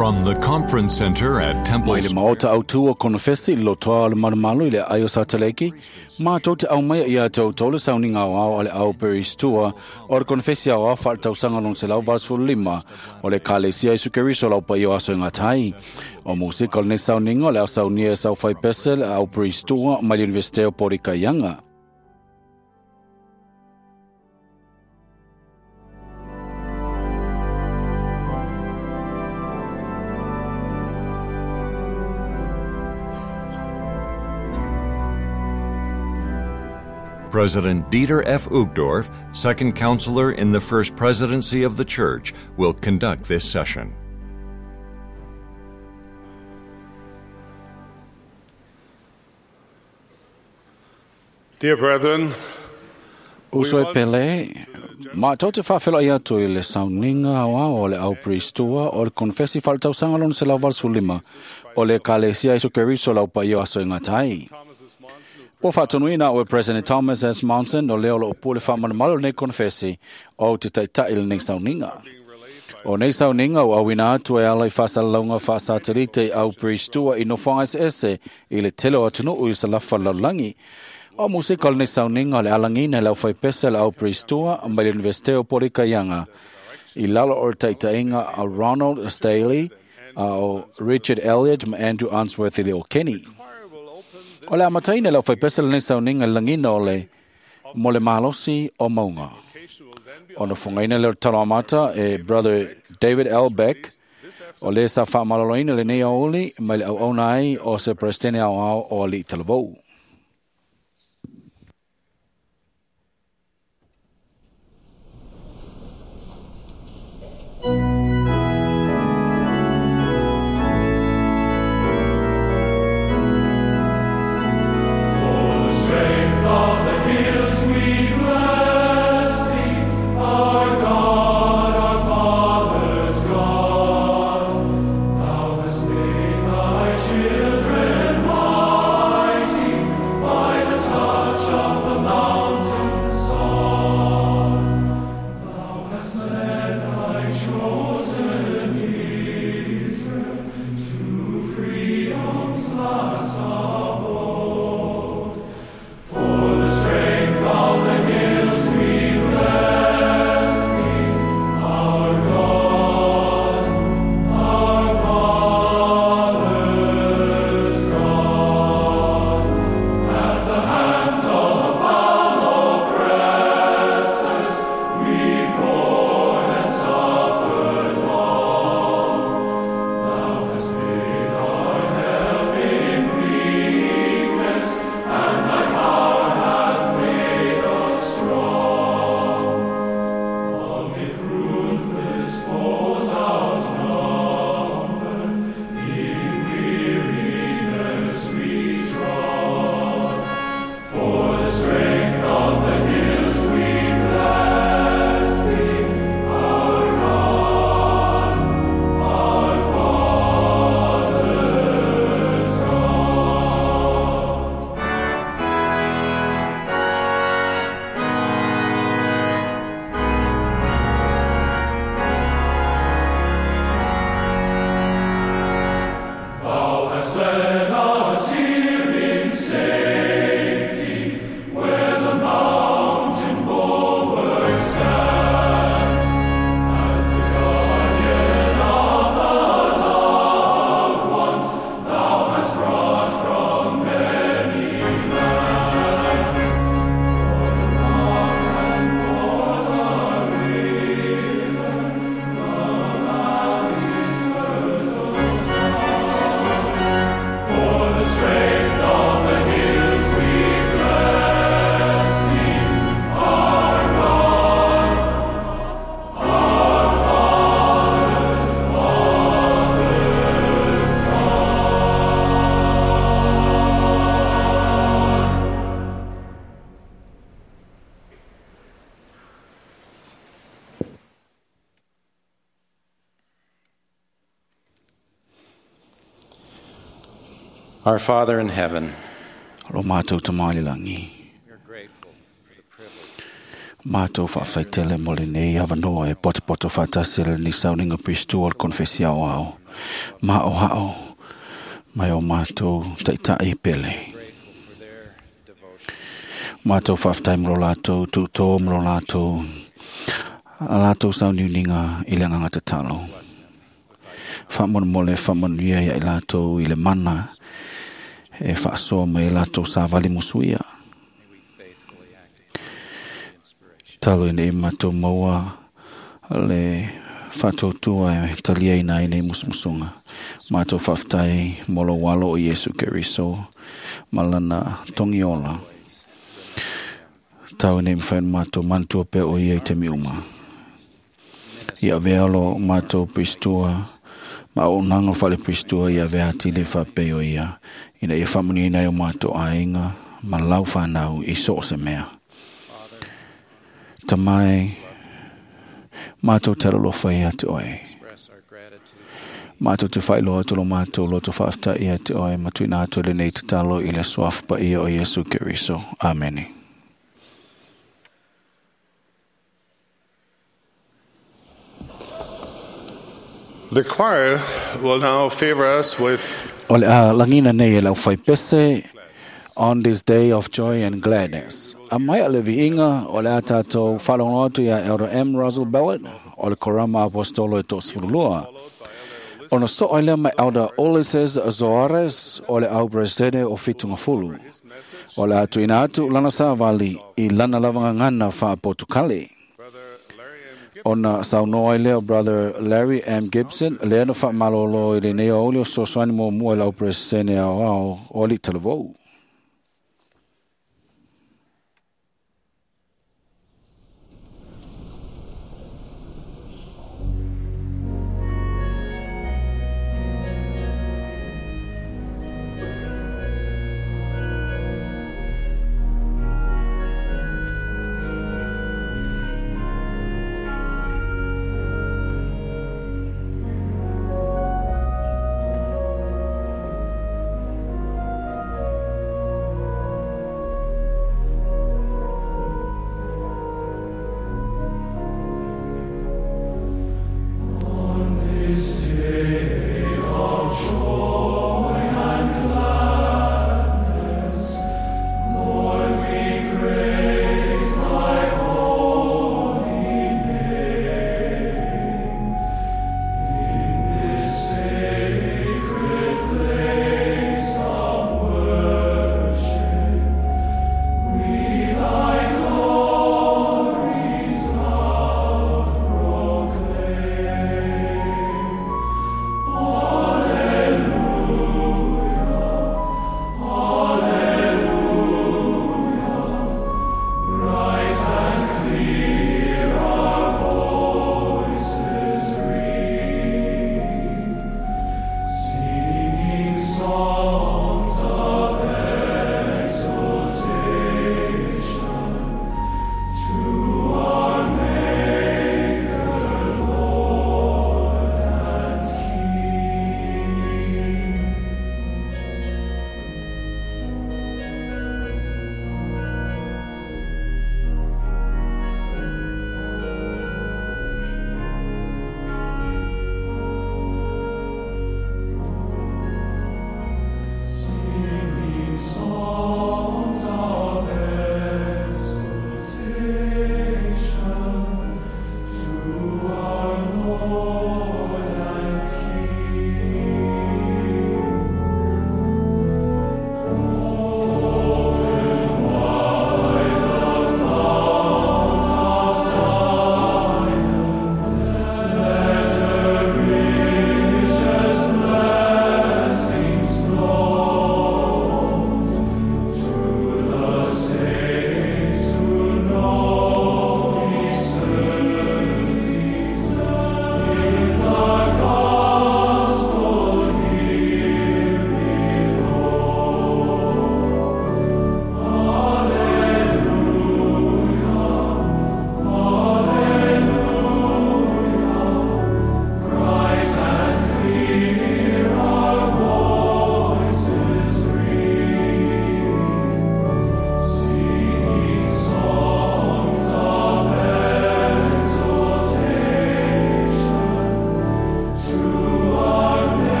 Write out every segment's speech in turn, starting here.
From the Conference Center at Temple Mai le maota autū o Konofesi i lotoa o le malumalu i le ai o Sataleki, mātou te au mai ia tau tau le sauniga o ao a le au Peristua o le Konofesi ao ao whaatausaga lon se lau 85 o le Kalesia Isu Keriso lau pa i o aso i ngā tai. O musika o le nei sauniga o le au saunia e sau whai pese le au Peristua mai le Universite o Porikaianga. President Dieter F. Uchtdorf, second counselor in the First Presidency of the Church, will conduct this session. Dear brethren, Uso e pele, mātou te whawhela i atu i le sauniga ao o le au Peristua o le Konfesi whaletausaga lona se lau 85 o le Kalesia Isu Keriso lau pa i o aso i ngā tai. Ua whaatonuina o e President Thomas S. Monson o leo lo o pule whamanamalo nei konfesi o te taitai le nei sauniga. O nei sauniga o awina atu e ala i whaasalaunga whaasatelite i au Peristua i nofoanga ese ese i le tele o atunuu i sa lafa lalolagi. O musika o lenei sauniga o le alagina e le aufaipese le au Peristua mai le Universite o Porikaianga i lalo o le taitaiga a Ronald Staley, a o Richard Elliott ma Andrew Unsworth i le o Kenny. O le amataina e le aufaipese lenei sauniga i le lagina o le mo le malosi o maunga. O na fungaina le talo amata e Brother David L. Beck, o le sa whaamaloloina lenei aoli mai le auauna ai o se Presidente ao ao o Ali Talavou. Our Father in heaven, Ro mātou te maile langi. Mātou whaawhaitele mo le nei awanoa e potopoto whātasi le ni sauninga Priestua o le konfesi ao ao. Maʻohaʻo mai o matou taʻitaʻi pele. Matou faafetai mo lo latou tuutō ma lo latou a latou sauniuniga i le agaga tatalo. Faamolemole faamanuia ia i latou i le mana e faasoa mai ai latou savali musuia. Talo ina ia matou maua le faatautua e taliaina ai nei musumusuga. Matou faafetai mo lou alo o Iesu Keriso ma lana togiola. Tau ina ia mafai ona matou manatua pea o ia i taimi uma. Ia avea lo matou Piristua ma auaunaga o faale-Piristua ia avea atili faapei o ia, ina ia faamanuiaina ai o matou aiga ma lau fanau i so o se mea. Tamai, matou te alolofa ia te oe. Matou te faailoa atu lo matou loto faafetai ia te oe ma tuuina atu lenei tatalo i le suafa paia o Iesu Keriso. Amene. The choir will now favor us with O le a lagina nei e lau faipese On This Day of Joy and Gladness. A mai a le viiga o le a tātou faalogo atu ia Elder M. Russell Ballard o le Korama Apostolo e 32. Ona soo ai lea mai Elder Ulysses Soares o le au Presidente o Fitungafulu. O le a tuuina atu lana savali i lana lavagagana faa-Potukale. Ona saunoa ai lea o Brother Larry M. Gibson, lea na faamalolo i lenei aoauli o fesoasoani muamua i le au Peresetene aoao o alii talavou.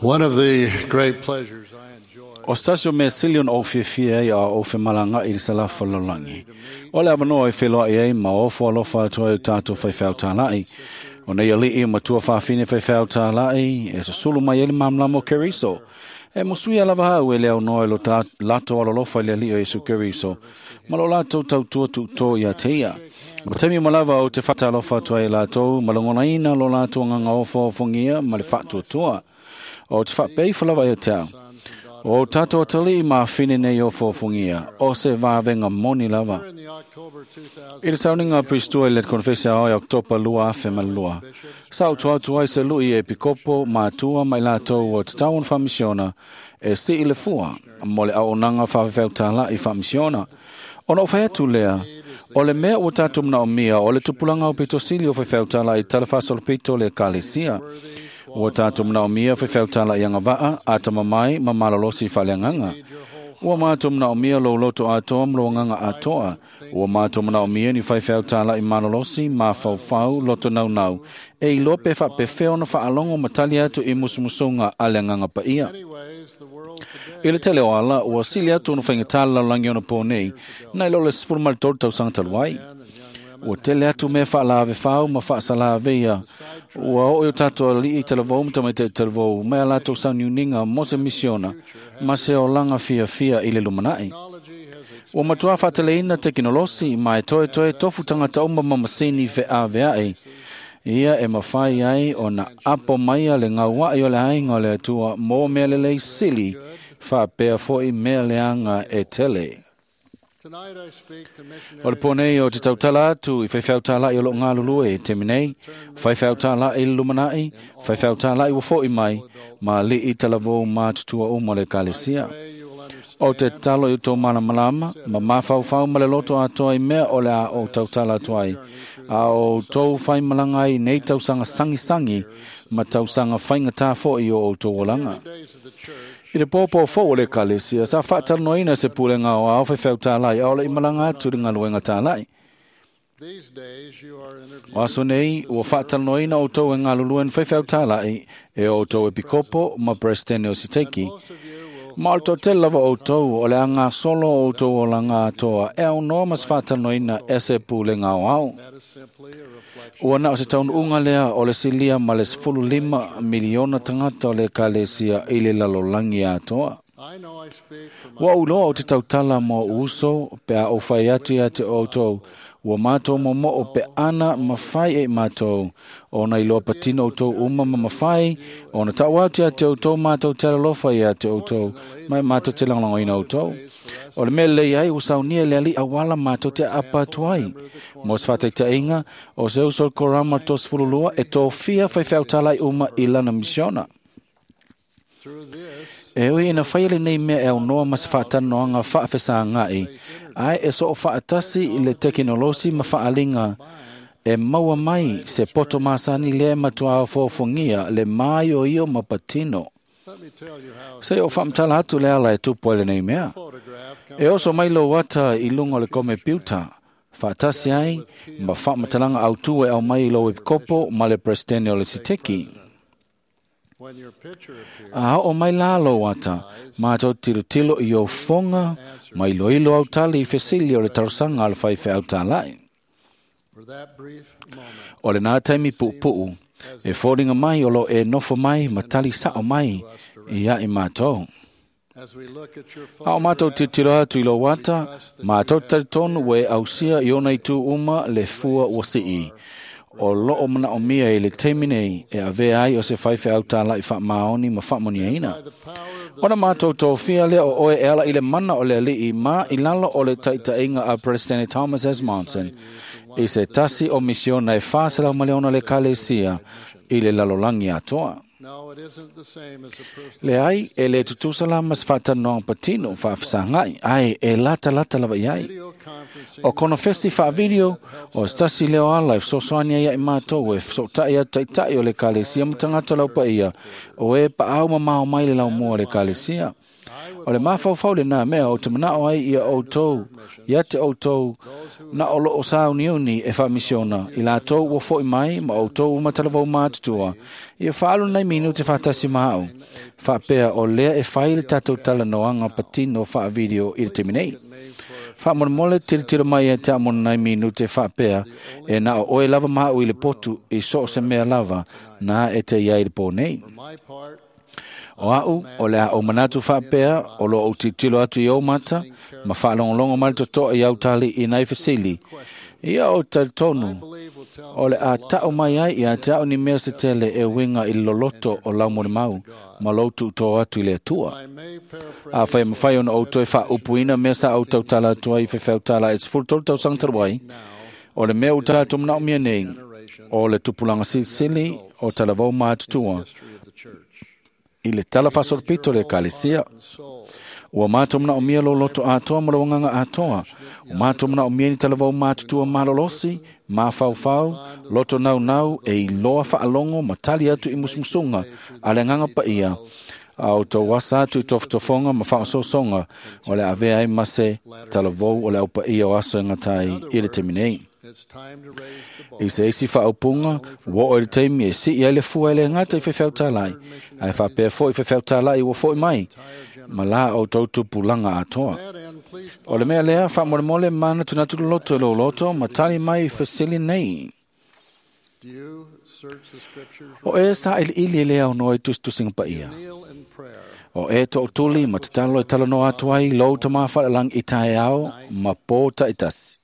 One of the great pleasures I enjoy O stasio mea sili ona ou fiafia ai a ou femalaga'i i le salafa lalolagi. O le avanoa e feloa'i ai ma ofo alofa atu ai o tatou faifeau tāla'i. O nei ali'i matua faafine faifeau tāla'i e susulu mai ai le malamalama o Keriso. E musuia lava au e le aunoa i lo latou alolofa i le Alii o Iesu Keriso, ma lo latou tautua tu'utō iā te ia. O taimi uma lava ou te faatalofa atu ai i latou ma lagonaina lo latou agaga ofoaofogia ma le faatuatua. O te faapea lava ia te au. O tatou atalii ma afine nei ofoaofogia, o se vavega moni lava. in the October 2000 I le sauniga Pristua i le konfesi ao i Oktopa 2002. Sa o tuatu ai se lui e pikopo matua mai latou o te tauan whamisiona e si i le fua mo le auaunaga faafefeau tāla'i faamisiona. Ona o whai atu lea, o le mea ua tatou manaomia o le tupulaga o pitosili o faifeau tāla'i talafāsolopito le ekalesia. Ua tatou manaomia faifeau tāla'i agava'a, atamamai ma malolosi faaleagaga. Ua mātou manaomia lou loto atoa ma lou agaga atoa. Ua mātou manaomia ni faifeau tāla'i malolosi, mafaufau, loto naunau. E iloa pe faapefea ona faalogo ma tali atu i musumusuga a le agaga paia. Anyways, the world today I le tele o ala, ua sili atu ona faigata le lalolagi ona pō nei, nai lo le 13 tausaga talu ai. Ua tele atu mea faalavefau ma faasalaveia. Ua oo i o tatou ali'i talavou ma tamaita'i talavou, mai a latou sauniuniga mo se misiona, ma se olaga fiafia i le lumana'i. technology has Ua matuā faateleina tekinolosi ma e toetoe tofu tagata uma ma masini feavea'i. Ia e mafai ai ona apo maia le gaua'i o le aiga o le Atua mo mea lelei sili, faapea fo'i mea leaga e tele. Tonight I speak to O le missionaries pō nei o te tautala atu i faifeau tāla'i o loo galulue e te nei, faifeau tāla'i i le lumana'i, faifeau tāla'i ua fo'i mai, ma ali'i talavou matutua uma o le ekalesia. pray you will understand O te talo i o tō malamalama, ma mafaufau ma le loto atoa i mea o le a o tautala atu ai. A o tou faimalaga ai nei tausaga sagisagi ma tausaga faigata fo'i o outou olaga. the days of the church I le pōpō fou o le ekalesia, sa faatalanoaina se pulega o ao faifeau tāla'i a o le i malaga atu i le galuega tāla'i. these days you are interviewed O aso nei, ua faatalanoaina outou e galulue ni faifeau tāla'i e o outou epikopo ma presidente o siteki. most of you will Ma o le toatele lava outou o le agasolo o outou olaga atoa e aunoa ma se faatalanoaina e se pulega aoao. that is simply a reflection Ua na o se taunuuga lea o le silia ma le 15 miliona tagata o le ekalesia i le lalolagi atoa. I know I speak for my Ua ou loa o te tautala mo ou uso pe a ou fai atu ia te outou. Ua mātou momo'o pe ana mawhai e mātou. Ona iloa patino outou uma ma mawhai. Ona tau atu ia te outou mātou te alalofa ia te outou. Mai mātou te lagolagoina outou. O le mea lelei ai ua saunia le ali'i auala mātou te apa atu ai. Mo se faataitaiga, o se uso o le korama 32 e tofia faifeau tāla'i uma i lana misiona. through this E ui ina whai lenei mea e aunoa ma se whaatanoanga whaafesāngai, ai e so o whaatasi i le tekinolosi ma whaalinga e maua mai se poto masani le matua ofoaofogia le māioio ma patino. let me tell you how Se o whaamtala atu le ala e tupu ai lenei mea. photograph comes E oso mai lou ata i lunga o le komepiuta, whaatasi ai ma whaamatalaga autu e au mai i lou epikopo ma le presidente o le siteki. when your picture appears A o mai la lou ata, mātou tilotilo i o fonga, ma iloilo au tali i fesili o le talosaga a le faifeau tāla'i. for that brief moment O le nā taimi pu'upu'u, e foliga mai o lo e nofo mai ma tali sa'o mai i a'i mātou. as we look at your A o mātou photograph tilotilo atu i lou ata, mātou talitonu ua e ausia i ona itu uma le fua ua si'i. O loo manaomia i le taimi nei e avea ai o se faifeau tāla'i faamaoni ma faamoniaina. by the power of the Ona mātou tōfia lea o oe e ala i le mana o le ali'i ma i lalo o le taitaiga a President Thomas S. Monson i se tasi o misiona e 400 maliona le ekalesia i le lalolagi atoa. No, it isn't the same as a personal Le ai e le tutusa la ma se faatanoaga patino faafesagai ai e latalata lava i ai. video conferencing O konofesi faavideo o se tasi leo ala e fesoasoani ai ia i mātou e feso'ota'i atu ta'ita'i o le ekalesia ma tagata o laupaia o e paau mamao mai le laumua o le ekalesia. O le mafaufau lenā mea o te manao ai ia outou, ia te outou, na o loo sauniuni e whaamisiona, i lātou ua foi mai ma outou umatalavou mātutua, ia whaalu nei minu te whātasi maau. Whaapea o lea e whai le tātou talanoanga patino whaavideo i le taimi nei. Whaamolemole tilotilo mai e te amona nei minu te whaapea e na o oe lava maau i le potu i so o se mea lava nā e te iai le pō nei. O au, o le a o manatu whaapea, o lo o tilotilo atu i o mata, ma whaalongolongo mai totoa i au tali i nei fesili. Ia o talitonu, o le a tau mai ai ia te au ni mea se tele e winga i loloto o lau molimau, ma lou tuutoa atu i le Atua. A whai mawhai ona o toe whaaupuina mea sa au tautala atua i whewheutala e 13 tausaga talu ai, o le mea o tātou manaomia nei, o le tupulaga silisili o talavou mātutua, i le tala faasolopito le ekalesia. Ua mātou manaomia lo loto atoa ma lo agaga atoa. Ua mātou manaomia ni talavou mātutua malolosi, mafaufau, loto naunau e iloa faalogo ma tali atu i musumusuga a le agaga paia, a o tou asa atu i tofotofoga ma faaosoosoga o le avea ai ma se talavou o le aupaia o aso e gata ai i le taimi nei. I se isi whaaupunga, ua oo i le taimi e sii ai le fua e le gata i fefeutalai, ae faapea foʻi fefeutalai ua foʻi mai, ma la outou tupulaga atoa. O le mea lea, faamolemole manatunatu loloto i lou loto ma tali mai i fesili nei. O e sailiili e le aunoa i tusitusiga paia. O e toʻutuli ma tatalo e talanoa atu ai lou tamā faalealagi i taeao ma pō taʻitasi.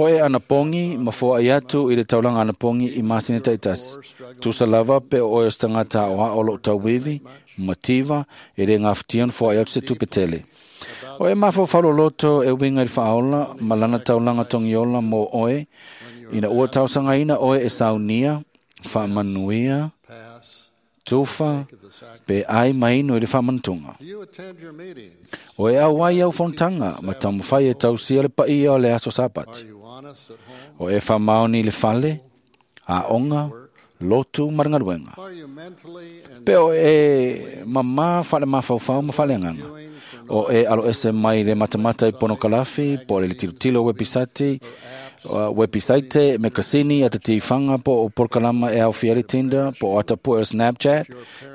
O e anapogi ma foaʻi atu i le taulaga anapogi i masina taʻitasi. Tusa lava pe o oe o se tagata aoao loo tauivi, mativa, e lē gafatia ona foaʻi atu se tupe tele. O e mafaufau loloto e uiga i le faaola ma lana taulaga togiola mo oe, ina ua tausagaina oe e saunia, faamanuia, tufa, pe ai mainu i le faamanatuga. O e auai au fonotaga ma taumafai e tausia le paia o le aso Sapati. O e faamaoni i le fale, aoga, lotu ma le galuega. Pe o e mamā faale-mafaufau ma faaleagaga. O e aloese mai le matamata i ponokalafi, po o le tilotilo wepisaite, mekasini, atatifaga po o polokalama e aofia ai le Tinder, po o atapue o Snapchat,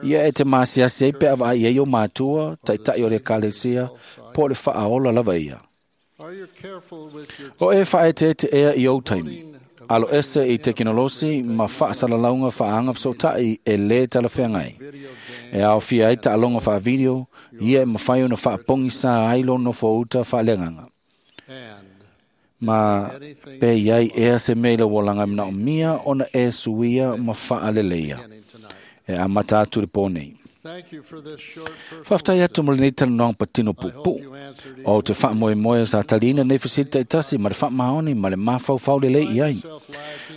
ia e te masiasi ai pe a vaai ai o matua, taʻitaʻi o le ekalesia, po o le faaola lava ia. O e faaeteete ea i ou taimi, aloese i tekinolosi ma faasalalauga faaaga fesootaʻi e lē talafeagai. E aofia ai taaloga faavideo, ia e mafai ona faapogisā ai lou nofouta faaleagaga. Ma pe iai ea se mea i lau olaga e manaomia ona e suia ma faaleleia. E amata atu le pō nei. Faafetai atu mo lenei talanoaga patino puupuu. O te faamoemoe sa taliina nei fesili taʻitasi ma le faamaoni ma le mafaufau lelei i ai.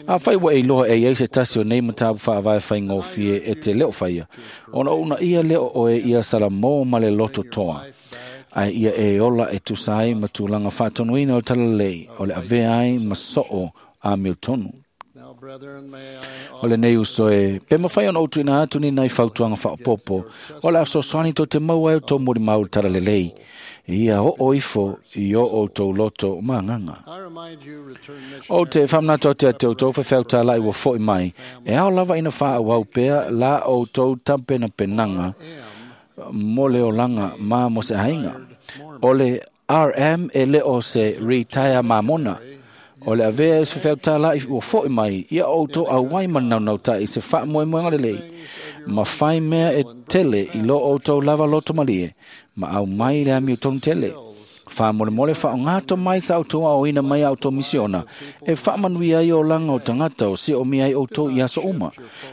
Afai ua e iloa e iai se tasi o nei mataupu faavae faigofie e te leo faia, ona uunaia lea o oe ia salamō ma le loto toa. Ae ia e ola e tusa ai ma tulaga faatonuina o le talalelei o le avea ai ma soo amiotonu. O lenei uso e, pe mawhai ona outuina atu ni nai fautuaga faaopoopo, o le a fesoasoani tou te maua ai o tou molimau i le talalelei, ia oo ifo i o outou loto ma agaga. O te faamanatu atu ia te outou fefeutalai ua foʻi mai, e ao lava ina faaauau pea la outou tapenapenaga mo le olaga ma mo se aiga. O le RM e le o se retire mamona. O le avea e se fefeutalai ua foʻi mai, ia outou auai ma le naunautai i se faamoemoega lelei, ma fai mea e tele i lo outou lava loto malie, ma aumai le amiotonu tele. Faamolemole faaaogato mai sa outou aoina mai a outou misiona, e faamanuia ai olaga o tagata o siomia ai outou i aso uma.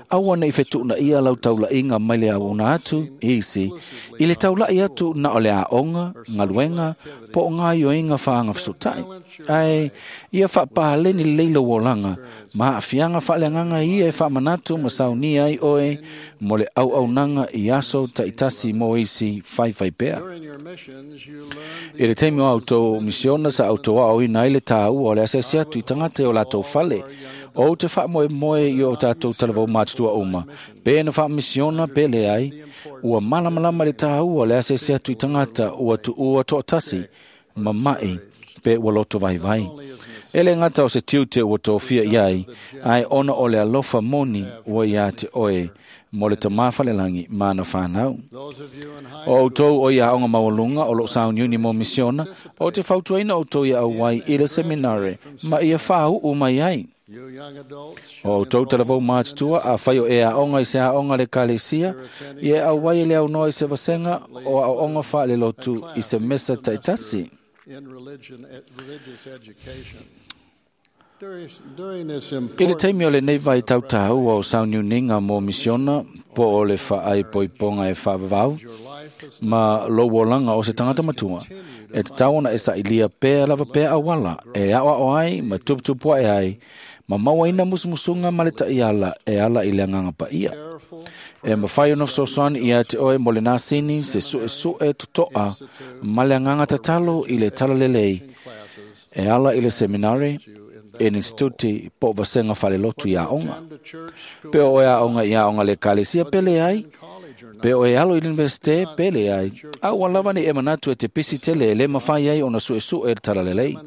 Aua nei fetuunaia lau taulaiga mai le auauna atu i isi, i le taulaʻi atu na o le aoga, galuega, po o gaoioiga faaga fesootaʻi. Ae ia faapaleni lelei lou olaga, ma aafiaga faaleagaga ia e faamanatu ma saunia ai oe mo le auaunaga i aso taʻitasi mo isi faifai pea. I le taimi o outou misiona sa outou aoaoina ai le tāua o le asiasi atu i tagata i o latou fale. Ou te faamoemoe i o tatou talavou matutua uma, pe na faamisiona pe leai, ua malamalama le tāua o le asiasi atu i tagata ua tuua toatasi, mama'i, pe ua loto vaivai. E le gata o se tiute ua tofia i ai, ae ona o le alofa moni ua ia te oe mo le tamā falelagi ma ana fanau. O outou o ia aoga maualuga o loo sauniuni mo misiona, o te fautuaina outou ia auai i le seminare ma ia fāuu mai ai. O outou talavou matutua a fai o e aoga i se aoga le kalesia, ia e auai e le aunoa i se vasega o aoaoga faalelotu i se mesa taitasi. I le taimi o lenei vaitau tāua o sauniuniga mo misiona po o le faaipoipoga e faavavau ma lou olaga o se tagata matua, e tatau ona e sailia pea lava pea auala e aoao ai ma tuputupu ae ai ma mauaina musumusuga ma le taʻiala e ala i le agaga paia. E mafai ona fesoasoani ia te oe mo le nasini se suʻesuʻe totoʻa ma le agaga tatalo i le talalelei e ala i le seminare, instituti po o vasega falelotu i aoga. Pe o e aoga i aoga le ekalesia pe leai, pe o e alo i le universite pe leai, a ua lava nei e manatu e te pisi tele e lē mafai ai ona suʻesuʻe le talalelei.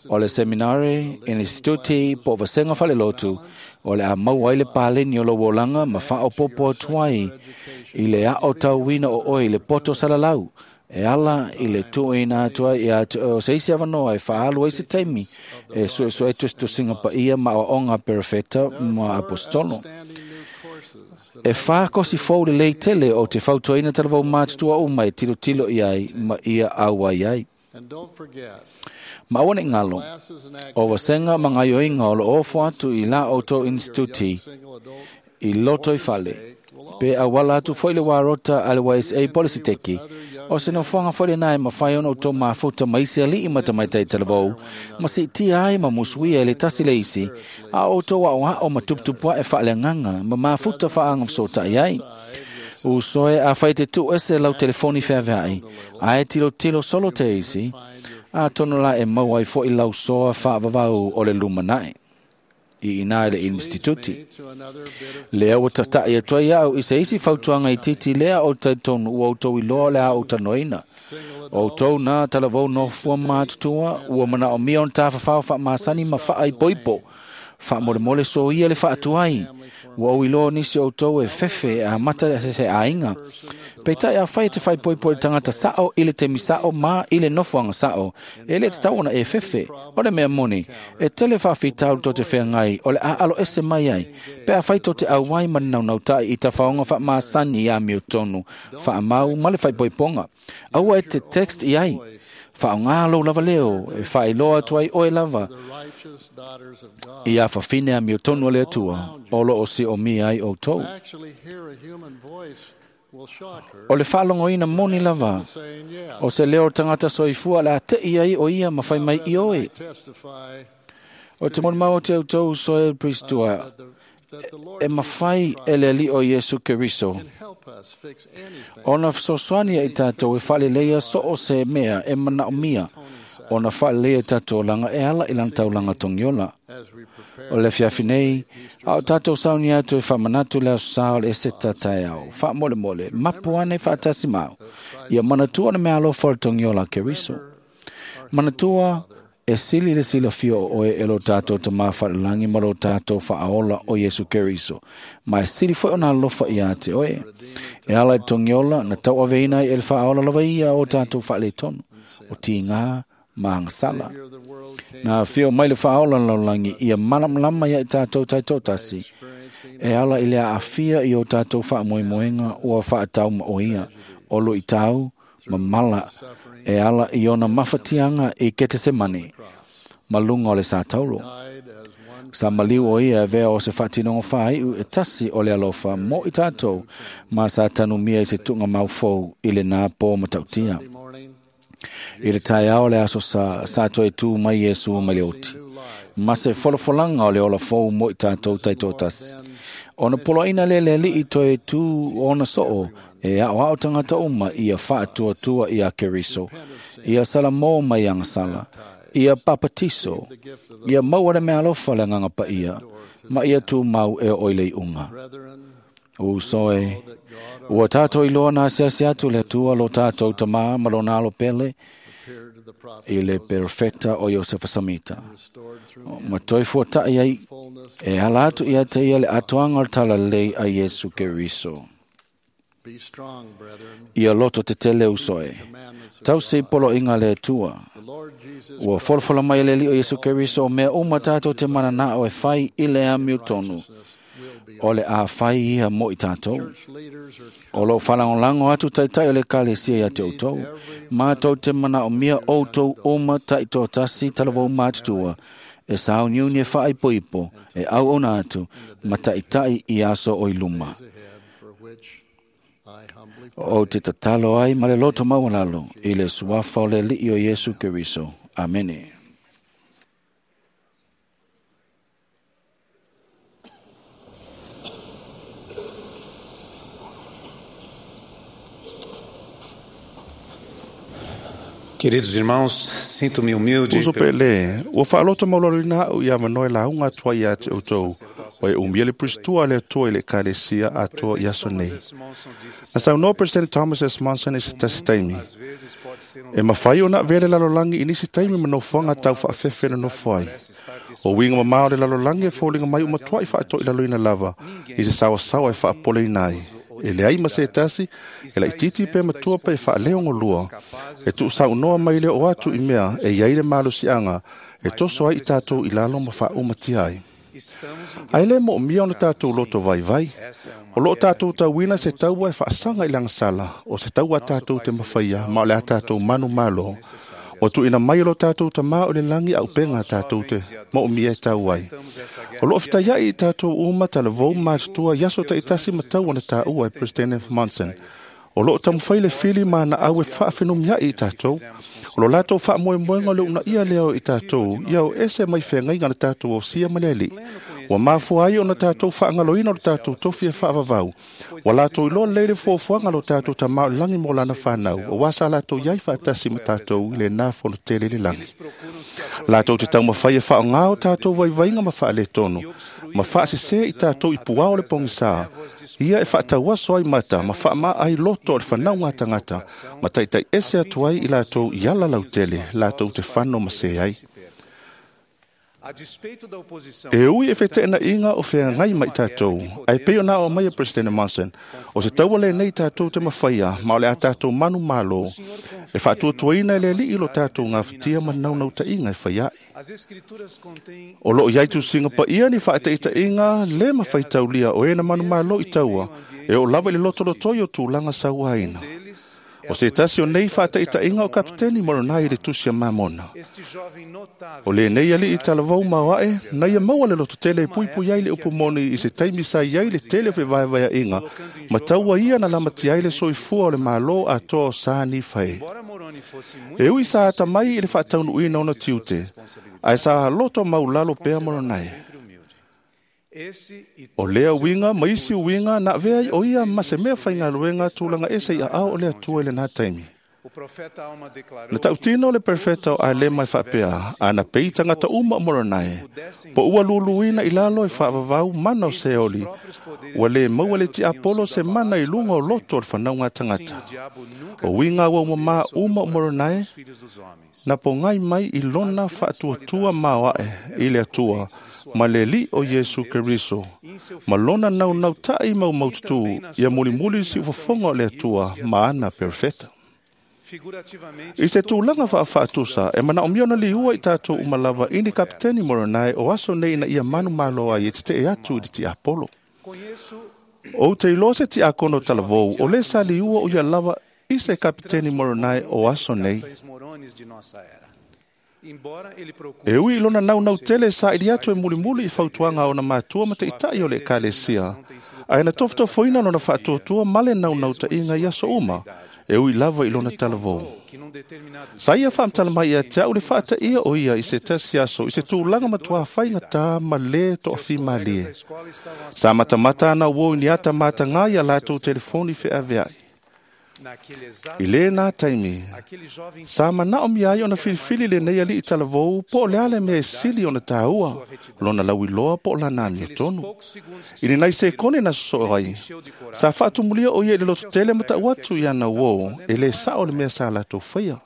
O le seminare, instituti po o vasega falelotu, o le a maua ai le paleni o lou olaga ma faaopopo atu ai i le aotauina o oe i le poto salalau, e ala i le tuuina atu ai ia te oe o se isi avanoa e faaalu ai se taimi e suesue tusitusiga paia ma aoaoga a perofeta ma apostolo. E whākosi fou le lei tele o te fautuaina talavou matutua uma e tilotilo i ai ma ia auai ai. Ma aua ne i galo, o vasenga ma gaioiga o loo ofo atu i la outou instituti i loto i fale, pe auala atu foi le warota a le YSA Polisiteki, o se nofoaga foi lenā e mafai ona outou mafuta ma isi aliʻi ma tamaitai talavou, ma siitia ai ma musuia i le tasi le isi, a o outou aʻoaʻo ma tuputupu aʻe faaleagaga ma mafuta faaagafesootaʻi ai. Usoe a fai te tuu ese lau telefoni feaveaʻi, ae tilotilo solo te isi, a tono la e maua ai foʻi lau soa faavavau o le lumanaʻi i ina i le instituti. Lea ua tataʻi atu ai aʻu i se isi fautuaga itiiti lea o talitonu ua outou iloa le a ou tanoina. O outou na talavou nofua matutua ua manaʻomia ona tafafao faamasani ma faaipoipo. Faamolemole soia le faatuai. Ua ou iloa nisi o outou e fefe e amata se aiga. Peitai afai e te faaipoipo i le tagata saʻo i le taimi saʻo ma i le nofoaga saʻo, e lē tatau ona e fefe. O le mea moni, e tele faafitauli to te feagai o le a alo ese mai ai, pe afai to te auai ma le naunautai i tafaoga faamasani ia miotonu, faamau ma le faaipoipoga. Aua e te text i ai, faaogā lou lava leo e faailoa atu ai oe lava ia fafine a miotonu a le Atua o loo siomia ai outou. O le faalogoina moni lava o se leo o le tagata soifua le a teʻi ai o ia ma fai mai i oe. O te molimau o te outou soe Pristua e mafai e le Alii o Iesu Keriso ona fesoasoani ai tatou e faaleleia so o se mea e manaomia ona faaleleia tatou olaga e ala i lana taulaga togiola. O le afiafi nei, a o tatou sauni atu e faamanatu le aso sā o le eseta taeao, faamolemole, mapu ane faatasi mau, ia manatua le mea alofa o le togiola a Keriso. Manatua e sili le silafia o oe e lo tatou tamā faalelagi ma lo tatou faaola o Iesu Keriso, ma e sili foi ona alofa ia te oe. E ala i le togiola na tauaveina ai e le faaola lava ia o tatou faaletonu, o tigā ma agasala. Na afio mai le faaola le lalolagi ia malamalama ia i tatou taitoatasi, e ala i le aafia i o tatou faamoemoega ua faataumaoia o luitau ma mala e ala i ona mafatiaga i Ketesemane ma luga o le sataulo. Sa maliu o ia e avea o se faatinoga faaiu e tasi o le alofa mo i tatou ma sa tanumia i se tuugamau fou i lenā pō matautia. I le taeao le aso sa toe tū mai Iesu mai le oti, ma se folafolaga o le ola fou mo i tatou taitoatasi. Ona poloaina le le alii toe tu ona soo e ao ao tangata uma ia faatuatua ia Keriso, ia salamo mai agasala, ia papatiso, ia maua le mealofa le agaga paia, ma ia tumau e oo i le iuga. Uso e, ua tātou iloa na asiasi atu le Atua lo tātou tamā ma lona alo pele i le perfeta o Iosefa Samita. Ma toe fuatai ai e ala atu ia te ia le atoaga o le talalelei a Iesu Keriso. Ia loto tetele uso e, tausi i poloaiga a le Atua. Ua folafola mai e le Alii o Iesu Keriso o mea uma tātou te mananao e fai i le amiotonu. O le a fai ia mo i tātou. O lo whalangolango atu taitai o le ekalesia ia te outou. Mātou te manaomia outou uma taitoatasi talavou matutua. E sauniuni e faaipoipo, e auauna atu, ma taitai i aso o i luma. O te tatalo ai ma le loto maualalo i le suafa o le Alii o Iesu Keriso. Amene. Queridos irmãos, sinto-me humilde. Uso pele, ua faaloto maualaloina a'u ia avanoa e lauga atu ai ia te outou, o e umia le pusitua le Atua i le Ekalesia atoa i aso nei. Na saunoa President Thomas S. Monson i se tasi taimi. E mafai ona avea le lalolagi i nisi taimi ma nofoaga tau faafefe na nofo ai. O uiga mamao o le lalolagi e foliga mai ua matua'i faatoilaloina lava i se saoasaoa e faapoleina ai. E leai ma se tasi, e laitiiti pe matua pe faaleogolua, e tuusaunoa mai le o atu i mea e iai le malosiaga e toso ai i tatou i lalo ma faaumatia ai. Ae le moomia ona tatou loto vaivai. O loo tatou tauina se taua e faasaga i le agasala, o se taua a tatou te mafaia ma o le a tatou manu malo. Ua tuuina mai e lo tatou tamā o le lagi auupega a tatou te moomia e tau ai. O loo fetaiai i tatou uma talavou matutua i aso taitasi ma taua na taua e President Monson. O loo taumafai le fili ma ana au e faafenumia'i i tatou. O lo latou faamoemoega o le uunaia lea o i tatou ia o ese mai feagaiga na tatou osia ma le Alii. Ua mafua ai ona tatou faagaloina o le tatou tofi e faavavau. Ua latou iloa lelei le fuafuaga o lo tatou tamā o le lagi mo lana fanau, auā sa latou iai faatasi ma tatou i lenā fonotele i le lagi. Latou te taumafai e faaaogā o tatou vaivaiga ma faaletonu, ma faasesē i tatou i puao o le pogisā, ia e faatauaso ai mata ma faamaa ai loto o le fanauga a tagata, ma taitai ese atu ai i latou i ala lautele, latou te fano ma se ai. E ui e feteenaiga o feagai mai tatou, ae pei ona ao mai e President Monson, o se taua lenei tatou te mafaia ma o le a tatou manu malo, e faatuatuaina e le Alii lo tatou gafatia ma naunautaiga e fai ae. O loo iai tusiga paia ni faataitaiga le mafaitaulia o e na manu malo i taua, e oo lava i le lotolotoi o tulaga sauaina. O se tasi o nei faataitaiga o Kapiteni Moronai i le tusi a Mamona. O lenei alii talavou maoae, na ia maua le lototele e puipui ai le upu moni i se taimi sa iai le tele o fevaevaea'iga, ma taua ia na lamatia ai le soifua o le Malo atoa o sa Nifae. E ui sa atamai i le faataunuuina ona tiute, ae sa loto maulalo pea Moronai. O lea uiga ma isi uiga na avea ai o ia ma se mea faigaluega tulaga ese i aao o le Atua i lenā taimi. Na tautino le perfeta o Alema e faapea, ana pei tagata uma o Moronai, po ua luluina i lalo e faavavau mana o Seoli, ua lē maua le tiapolo se mana i luga o loto o le fanauga a tagata. O uiga auaumamā uma o Moronai, na pogai mai i lona faatuatua maoae i le Atua ma le Alii o Iesu Keriso, ma lona naunauta'i maumaututū ia mulimuli siufofoga o le Atua ma ana perfeta. I se tulaga faafaatusa e manaomia ona liua i tatou uma lava i ni Kapiteni Moronai o aso nei ina ia manu malo ai e tetee atu i le tiapolo. Ou te iloa se tiakono talavou o lē sa liua o ia lava i se Kapiteni Moronai o aso nei. E ui i lona naunautele saili atu e mulimuli i fautuaga a ona matua ma taʻitaʻi o le Ekalesia, ae na tofotofoina lona faatuatua ma le naunautaiga i aso uma, e ui lava i lona talavou. Sa ia faamatala mai ia te au le faataia o ia i se tasi aso i se tulaga matuā faigata ma lē toafimalie. Sa matamata ana uō i ni ata matagā ia latou telefoni feaveaʻi. I lēnā taimi, sa manaʻomia ai ona filifili lenei aliʻi talavou po o le a le mea e sili ona tāua, lona lauiloa po o lana amiotonu. I lenai sekone na sosoo ai, sa faatumulia o ia i le lototele ma taʻu atu i ana uō e lē saʻo le mea sa latou faia.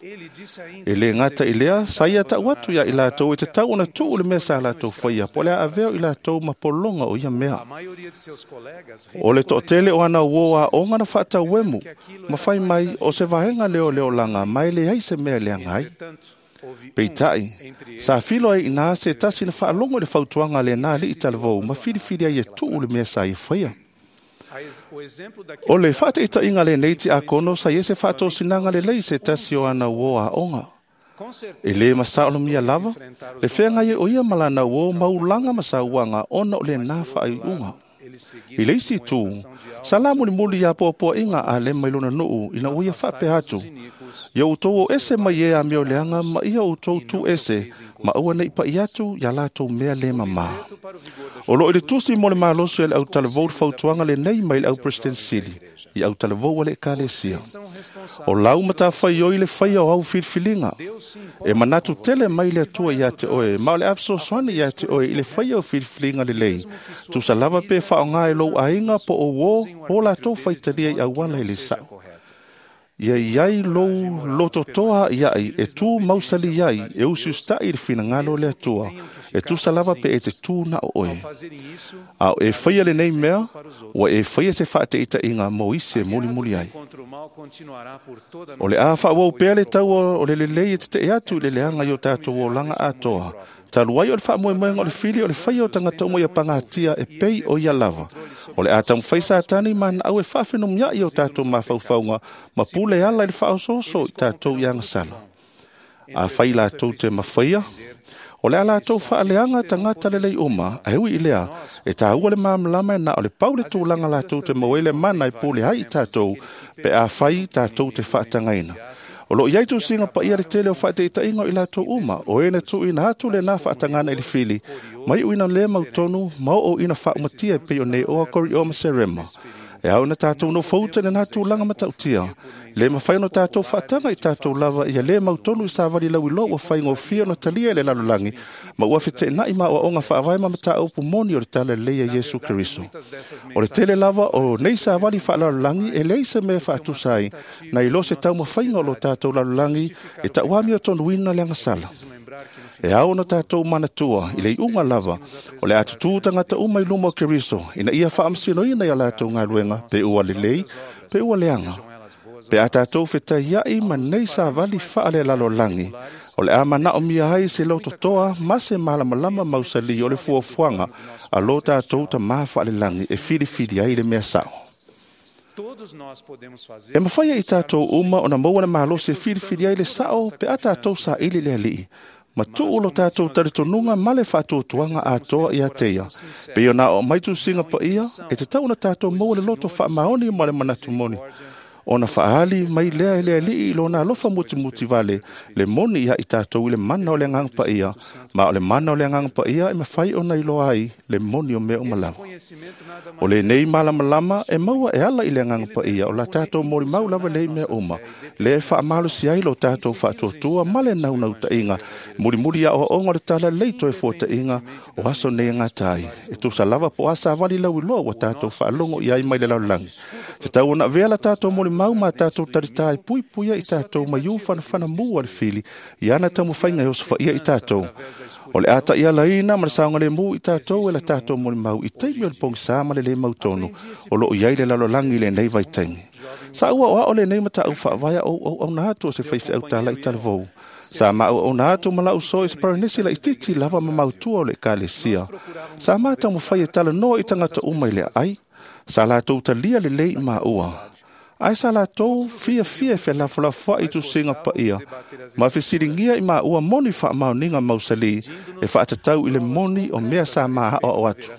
E lē gata i lea, sa ia taʻu atu iā i latou e tatau ona tuʻu le mea sa latou faia po o le a avea o i latou ma pologa o ia mea. O le toʻatele o ana uō aʻoga na faatauemu, ma fai mai o se vaega lea o le olaga ma e leai se mea e leaga ai. Peitai, sa filo ai inā se tasi na faalogo i le fautuaga a lenā aliʻi talavou ma filifili ai e tuʻu le mea sa ia faia. O le faataʻitaʻiga lenei tiakono sa ia se faatosinaga lelei se tasi o ana uō aʻoga. E lē masaolomia lava, le feagai ai o ia ma lana uō maulaga ma sauaga ona o lenā faaiuga. I le isi itu, sa la mulimuli iā poapoaʻiga a le mai lona nuu ina ua ia faapea atu, ia outou o ese mai e amio leaga ma ia outou tu ese, ma aua nei paʻi atu iā latou mea lē mamā. O loo i le tusi mo le malosi e le autalavou le fautuaga lenei mai le au President Sili, i autalavou a le Ekalesia. O lau matafaioi le faia o au filifiliga, e manatu tele mai le Atua iā te oe, ma o le afesoasoani iā te oe i le faia o filifiliga lelei, tusa lava pe faaaogā e lou aiga po o uō o latou faitalia i auala i le saʻo. Ia iai lou lototoa iaʻi e tū mausali ai e usiusitaʻi i le finagalo o le Atua, e tusa lava pe e te tū na o oe. A o e faia lenei mea, ua e faia se faateʻitaʻiga mo isi e mulimuli ai. O le a faaauau pea le taua o le lelei e teteʻe atu i le leaga i o tatou olaga atoa, talu ai o le faamoemoega o le fili o le faia o tagata uma ia pagatia e pei o ia lava. O le a taumafai Satani ma naʻau e faafenumiaʻi o tatou mafaufauga ma pule ala i le faaosooso i tatou i agasala. A fai latou te mafaia, o le a latou faaleaga tagata lelei uma, ae ui i lea, e tāua le malamalama e na o le pau le tulaga latou te maua ai le mana e pule ai i tatou, pe a fai tatou te faatagaina. O loo iai tusiga paia le tele o faateʻitaʻiga o i latou uma, o e na tuuina atu lenā faatagana i le fili, mai uina lē mautonu ma oo ina faaumatia e pei o nei oa Koriʻoa ma Serema. E ao na tatou nofouta i lenā tulaga matautia, lē mafai ona tatou faataga i tatou lava ia lē mautonu i savali lauiloa ua faigofie ona talia i le lalolagi, ma ua feteenaʻi ma aoaoga faavae ma mataupu moni o le tala lelei a Iesu Keriso. O le tele lava o nei savali faalalolagi e leai se mea e faatusa ai, na i lo se taumafaiga o lo tatou lalolagi e taʻuami o tonuina le agasala. E ao ona tatou manatua i le iuga lava, o le a tutū tagata uma i luma o Keriso, ina ia faamasinoina ia latou galuega, pe ua lelei, pe ua leaga. Pe a tatou fetaiaʻi ma nei savali faalelalolagi, o le a manaʻomia ai se lototoa ma se malamalama mausali o le fuafuaga a lo tatou tamā faalelagi e filifili ai le mea saʻo. E mafai ai tatou uma ona maua le malosi e filifili ai le saʻo pe a tatou saʻili le aliʻi, ma tuu lo tatou talitonuga ma le faatuatuaga atoa ia te ia. Pei ona o mai tusiga paia, e tatau ona tatou maua le loto faamaoni ma le manatu moni. Ona faali mai lea e le aliʻi i lona alofa mutimuti vale, le moni ia i tatou i le mana o le Agaga Paia, ma o le mana o le Agaga Paia e mafai ona iloa ai le moni o mea uma lava. O lenei malamalama e maua e ala i le Agaga Paia o la tatou molimau lava lea i mea uma, lea e faamalosi ai lo tatou faatuatua ma le naunautaʻiga, mulimuli aoaoga o le tala lelei toe fuataʻiga o aso nei e gata ai. E tusa lava po o a savali lauiloa ua tatou faalogo i ai mai le lalolagi. Tatau ona avea la tatou molimau ma tatou talitā e puipuia i tatou mai u fanafana mu a le fili i ana taumafaiga e osofaia i tatou. O le a taʻialaina ma le saogalemu i tatou e la tatou molimau i taimi o le pogisā ma le lē mautonu o loo i ai le lalolagi i lenei vaitaimi. Sa ua o ao lenei mataʻau faavae a ou auauna atu o se faifeau talaʻi talavou. Sa maauauna atu ma lau so i se paranesi laititi lava ma mautua o le Ekalesia. Sa ma taumafai e talanoa i tagata uma i le aai. Sa latou talia lelei i maua. Ae sa latou fiafia e felafolafoaʻi i tusiga paia, ma fesiligia i maua moni faamaoniga mausali e faatatau i le moni o mea sa ma aoao atu.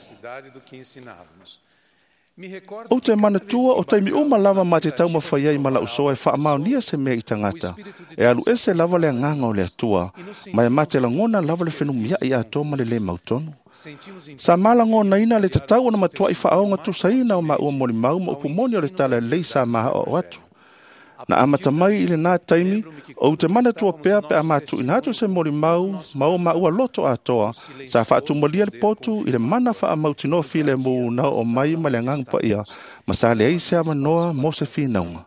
Ou te manatua o taimi uma lava ma te taumafai ai ma la'u soa e faamaonia se mea i tagata. E alu ese lava le agaga o le Atua, ma e mate lagona lava le fenumia'i atoa ma le lē mautonu. Sa malagonaina le tatau ona matua'i faaoga tusaina o maua molimau ma upu moni o le tala lelei sa maa'oa'o atu. Na amata mai i lenā taimi, ou te manatua pea pe a matu'uina atu se molimau ma o maua loto atoa, sa faatumalia le potu i le mana faamautinoa filemu na oo mai ma le agaga paia, ma sa leai se avanoa mo se finauga.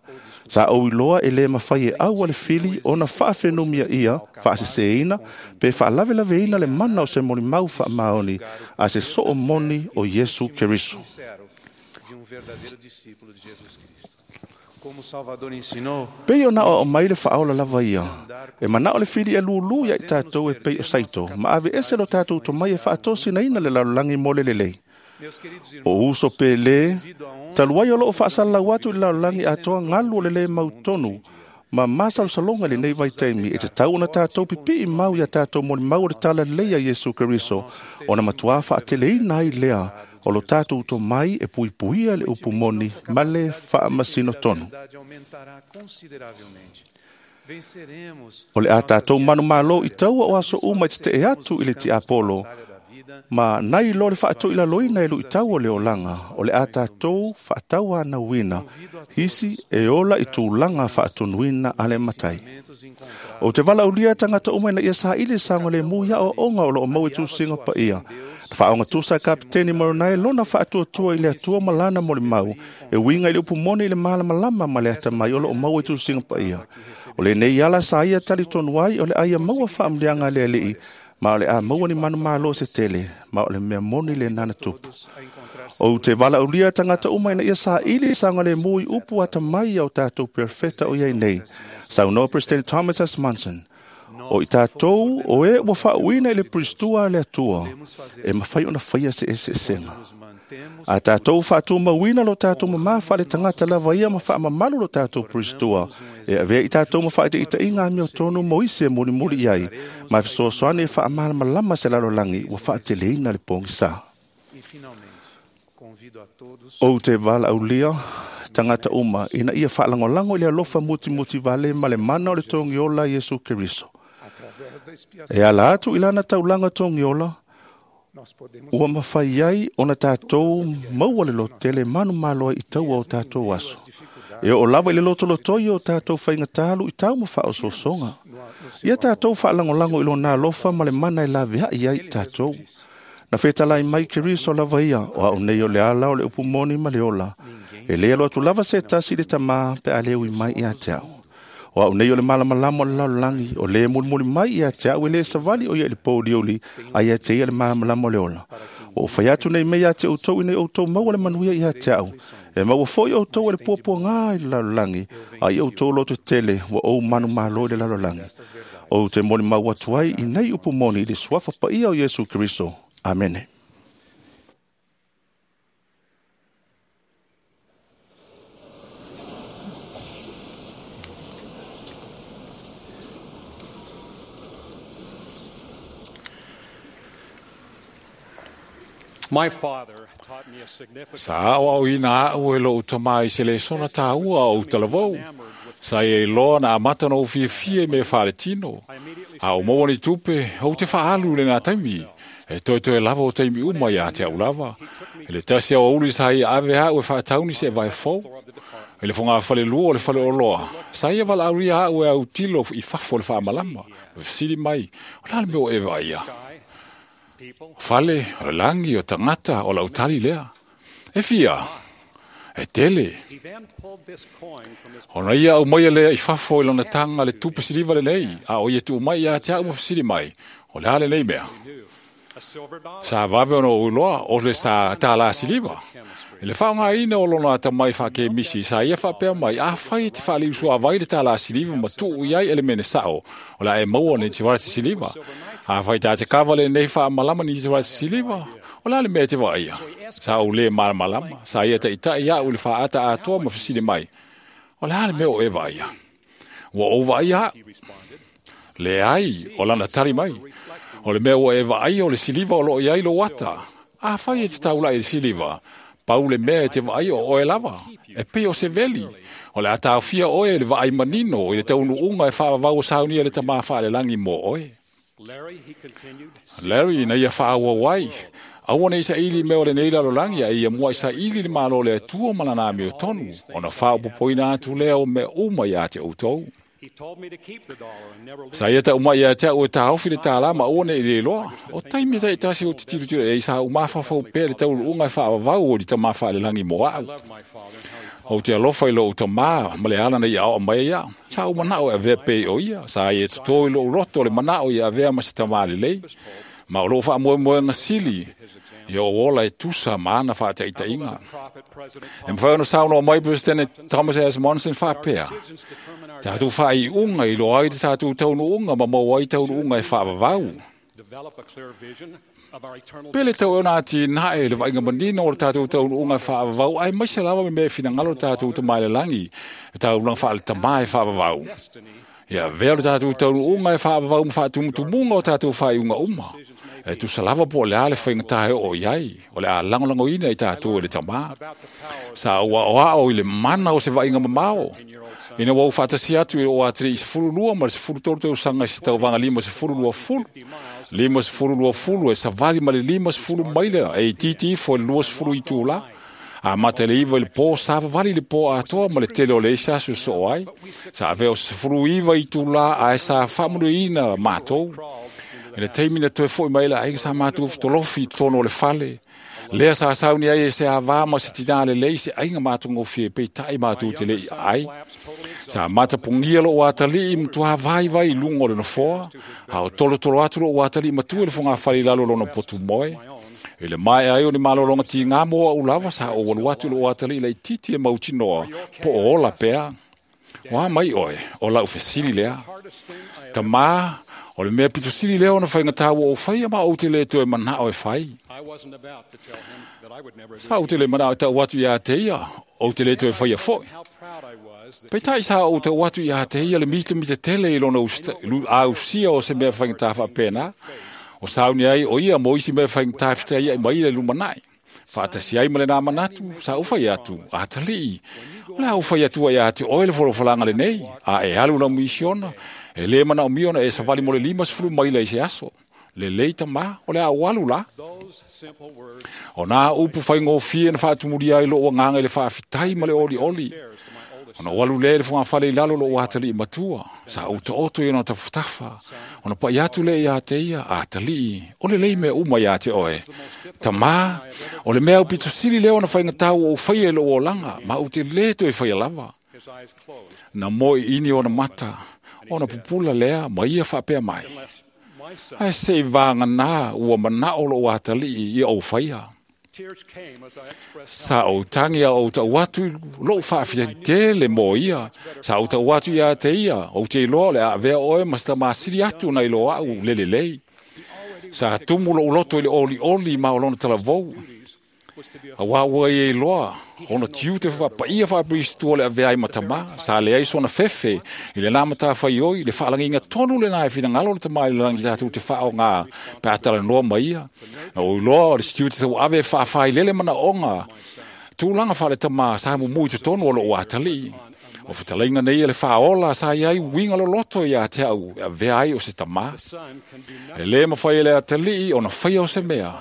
Sa ou iloa e lē mafai e aua le fili ona faafenumiaia, faasesēina, pe faalavelaveina le mana o se molimau faamaoni a se soo moni o Iesu Keriso. Pei ona aoao mai le faaola lava ia, e manao le fili e lūlū ia i tatou e pei o saito, ma ave ese lo tatou tomai e faatosinaina le lalolagi mo le lelei. O uso pe lē, talu ai o loo faasalalau atu i le lalolagi atoa galu o le lē mautonu, ma masalosaloga i lenei vaitaimi e tatau ona tatou pipi'i mau ia tatou molimau o le tala lelei a Iesu Keriso, ona matuā faateleina ai lea o lo tatou tomai e puipuia le upu moni ma le faamasino tonu. O le a tatou manumalo i taua o aso uma e tete'e atu i le tiapolo, ma nai lo le faatoilaloina e lu'itau o le olaga, o le a tatou faatauanauina isi e ola i tulaga faatonuina a le matai. Ou te valaaulia tagata uma ina ia saili saogalemu i aoaoga o loo maua i tusiga paia. Na faaogatusa e Kapeteni Moronai lona faatuatua i le Atua ma lana molimau, e uiga i le upu moni i le malamalama ma le atamai o loo maua i tusiga paia. O lenei ala sa ia talitonu ai o le a ia maua faamuliaga a le Alii, ma o le a maua ni manumalo se tele, ma o le mea moni lenā na tupu. Ou te valaaulia tagata uma ina ia saili saogalemu i upu atamai ia o tatou perofeta o iai nei. Saunoa President Thomas S. Monson, o i tatou o e ua faauuina i le puristua a le Atua, e mafai ona faia se eseesega. A tatou faatumauina lo tatou mamā faale-tagata lava ia ma faamamalu lo tatou puristua, e avea i tatou ma faaitaitaiga amiotonu mo isi e mulimuli i ai, ma e fesoasoani e faamalamalama se lalolagi ua faateleina le pogisā. Ou te valaaulia tagata uma ina ia faalagolago i le alofa mutimuti vale ma le mana o le togiola Iesu Keriso. E ala atu i lana taulaga togiola, ua mafai ai ona tatou maua le lototele manumalo ai i taua o tatou aso. E oo lava i le lotolotoi o tatou faigatā lu'itau ma faaosoosoga. Ia tatou faalagolago i lona alofa ma le mana e laveai ai i tatou. Na fetalai mai Keriso lava ia, o au nei o le ala o le upu moni ma le ola. E lē alo atu lava se tasi i le Tamā pe a lē ui mai ia te au. O au nei o le malamalama o le lalolagi, o lē mulimuli mai ia te au e lē savali o ia i le pouliuli, a ia te ia le malamalama o le ola. Ua ou fai atu nei mea ia te outou ina ia outou maua le manuia ia te au. E maua foi outou e le puapuagā i le lalolagi, a ia outou lototetele ua ou manumalo i le lalolagi. Ou te molimau atu ai i nei upu moni i le suafa paia o Iesu Keriso. Amene. My father taught me a significant Sa aoaoina a'u e lo'u tamā i se lesona tāua o utalavou. Sa ia iloa na amata na ou fiafia i mea faaletino. A o maua ni tupe, ou te faalu i lenā taimi. E toetoe lava o taimi uma iā te au lava. E le tasi au auli sa ia ave a'u e faatauni se vae fou. I le fogafalelua o le faleoloa, sa ia valaaulia a'u e autilo i fafo o le faamalama. Ma fesili mai, o le a le mea o e vaaia? Fale, o le lagi, o tagata, o lau tali lea. E fia, e tele. He then pulled this coin from his Ona ia au mai lea i fafo i lona taga le tupe siliva lenei, a o ia tuu mai ia te au ma fesili mai, o le a lenei mea. a silver dollar. Sa vave ona ou iloa o le sa tālā siliva. I le faaaogaina o lona atamai faakemisi, sa ia faapea mai, afai e te faaliusuavai le tālā siliva ma tuu i ai elemene sa'o, o le a e maua ni tivalati siliva. Afai tā te kava lenei faamalama ni tivalati siliva, o le a le mea e te vaaia. Sa ou lē malamalama, sa ia taʻitaʻi a'u i le faaata atoa ma fesili mai, o le a le mea o e vaaia. Ua ou vaaia a'u. Leai, o lana tali mai. O le mea ua e vaaia o le siliva o loo i ai lou ata. Afai e te taula'i i le siliva, Pau le mea e te vaai o oe lava, e pei o se veli. O le a taofia oe i le vaai manino i le taunuuga e faavavau o saunia le Tamā faalelagi mo oe. Larry na ia faaauau ai, aua ne i saili mea o lenei lalolagi, a ia muai saili le malo o le Atua ma lana amiotonu, ona faaopopoina atu lea o mea uma ia te outou. Sa ia tau mai ia te au e taofi le tālā ma aua ne i le iloa. O taimi taitasi o te tilotilo e i sa ou mafaufau pea le taunuuga e faavavau o le Tamā faalelagi mo au. Ou te alofa i lou tamā ma le ala na ia aoa mai ai au. Sa ou manao e avea pei o ia. Sa ia totō i lou loto le manao ia avea ma se tamā lelei. Ma o lou faamoemoega sili ia ou ola e tusa ma ana faataitaiga. E mafai ona saunoa mai Peresetene Thomas S. Monson faapea, tatou faaiuga i loa ai le tatou taunuuga ma maua ai taunuuga e faavavau. Pe le tau e ona atinae le vaaiga manino o le tatou taunuuga e faavavau, ae maise lava me mea e finagalo le tatou Tamā i le lagi, e taulaga faale-tamā e faavavau. Ia avea le tatou taunuuga e faavavau ma faatumutumuga o tatou faaiuga uma. E tusa lava po o le a le faigata e oo i ai, o le a lagolagoina i tatou e le Tamā. Sa ou aoao i le mana o se vaaiga mamao. Ina ua ou faatasi atu i lou atalii 12 ma le 13 tausaga i se tauvaga 50 20, 50 20 e savali ma le 50 maila e itiiti ifo i le 20 itula. Amata i le 9 i le po, savavali le po atoa ma le tele o le isi aso e soo ai. Sa avea o se 19 itula ae sa faamanuiaina matou. I le taimi na toe foi mai le aiga sa matou fetolofi i totonu o le fale. Lea sa sauni ai e se avā ma se tinā lelei se aiga matagofie peitai matou te le i ai. Sa matapogia lou atalii matua vaivai i luga o le nofoa, a o tolotolo atu lou atalii matua i le fogafale i lalo o lona potu moe. I le maea ai o ni malologa tigā mo au lava, sa ou alu atu i lou atalii laitiiti e mautinoa, po o ola pea. O a mai oe, o lau fesili lea. Tamā, o le mea pito sili lea ona faigata ua ou faia ma ou te le toe manao e fai. Sa ou te le manao e tau atu ia te ia, ou te le toe faia foi. Peitai sa ou tau atu ia te ia le mitamita tele i lona ausia o se mea faigata faapena. O sauni ai o ia mo isi mea faigata fitaia i mai le lumanai. Faatasi ai ma lena manatu, sa ou fai atu, atalii. O le a ou fai atua ia te oe le folafolaga lenei, a e alu lau misiona, e le manaomia ona e savali mo le 50 maila i se aso. Lelei tamā, o le a ou alu la. O nā upu faigofie na faatumulia ai lou agaga i le faafetai ma le olioli. Ona ou alu lea i le fogafale i lalo lou atalii matua, sa ou taoto i ona tafatafa. Ona pai atu lea ia te ia, atalii, o lelei mea uma ia te oe. Tamā, o le mea aupito sili lea ona faigata ua ou faia i lou olaga, ma ou te le toe faia lava. Na moe ini ona mata, ona pupula lea ma ia faapea mai. Ae se i vāganā ua manao lou atalii ia ou faia. Sa ou tangi a ou tau atu lou faafetai tele mo ia. Sa ou tau atu ia te ia, ou te iloa o le a avea oe ma se tamasili atu nai lo au le lelei. Sa tumu lou loto i le olioli ma o lona talavou. Auā ua ia iloa, ona tiute faapaia faapiristua le avea ai ma tamā, sa leai sona fefe i lenā matafaioi, le faalagiga tonu lenā e finagalo le Tamā i le lagi tatou te faaogā pe a talanoa ma ia. Na ou iloa o le tiute tauave e faafailele manaoga, tulaga faale-tamā sa mumu i totonu o lou atalii. O fetalaiga nei e le faaola sa i ai uiga loloto ia te au e avea ai o se tamā. E lē mafai e le atalii ona faia o se mea.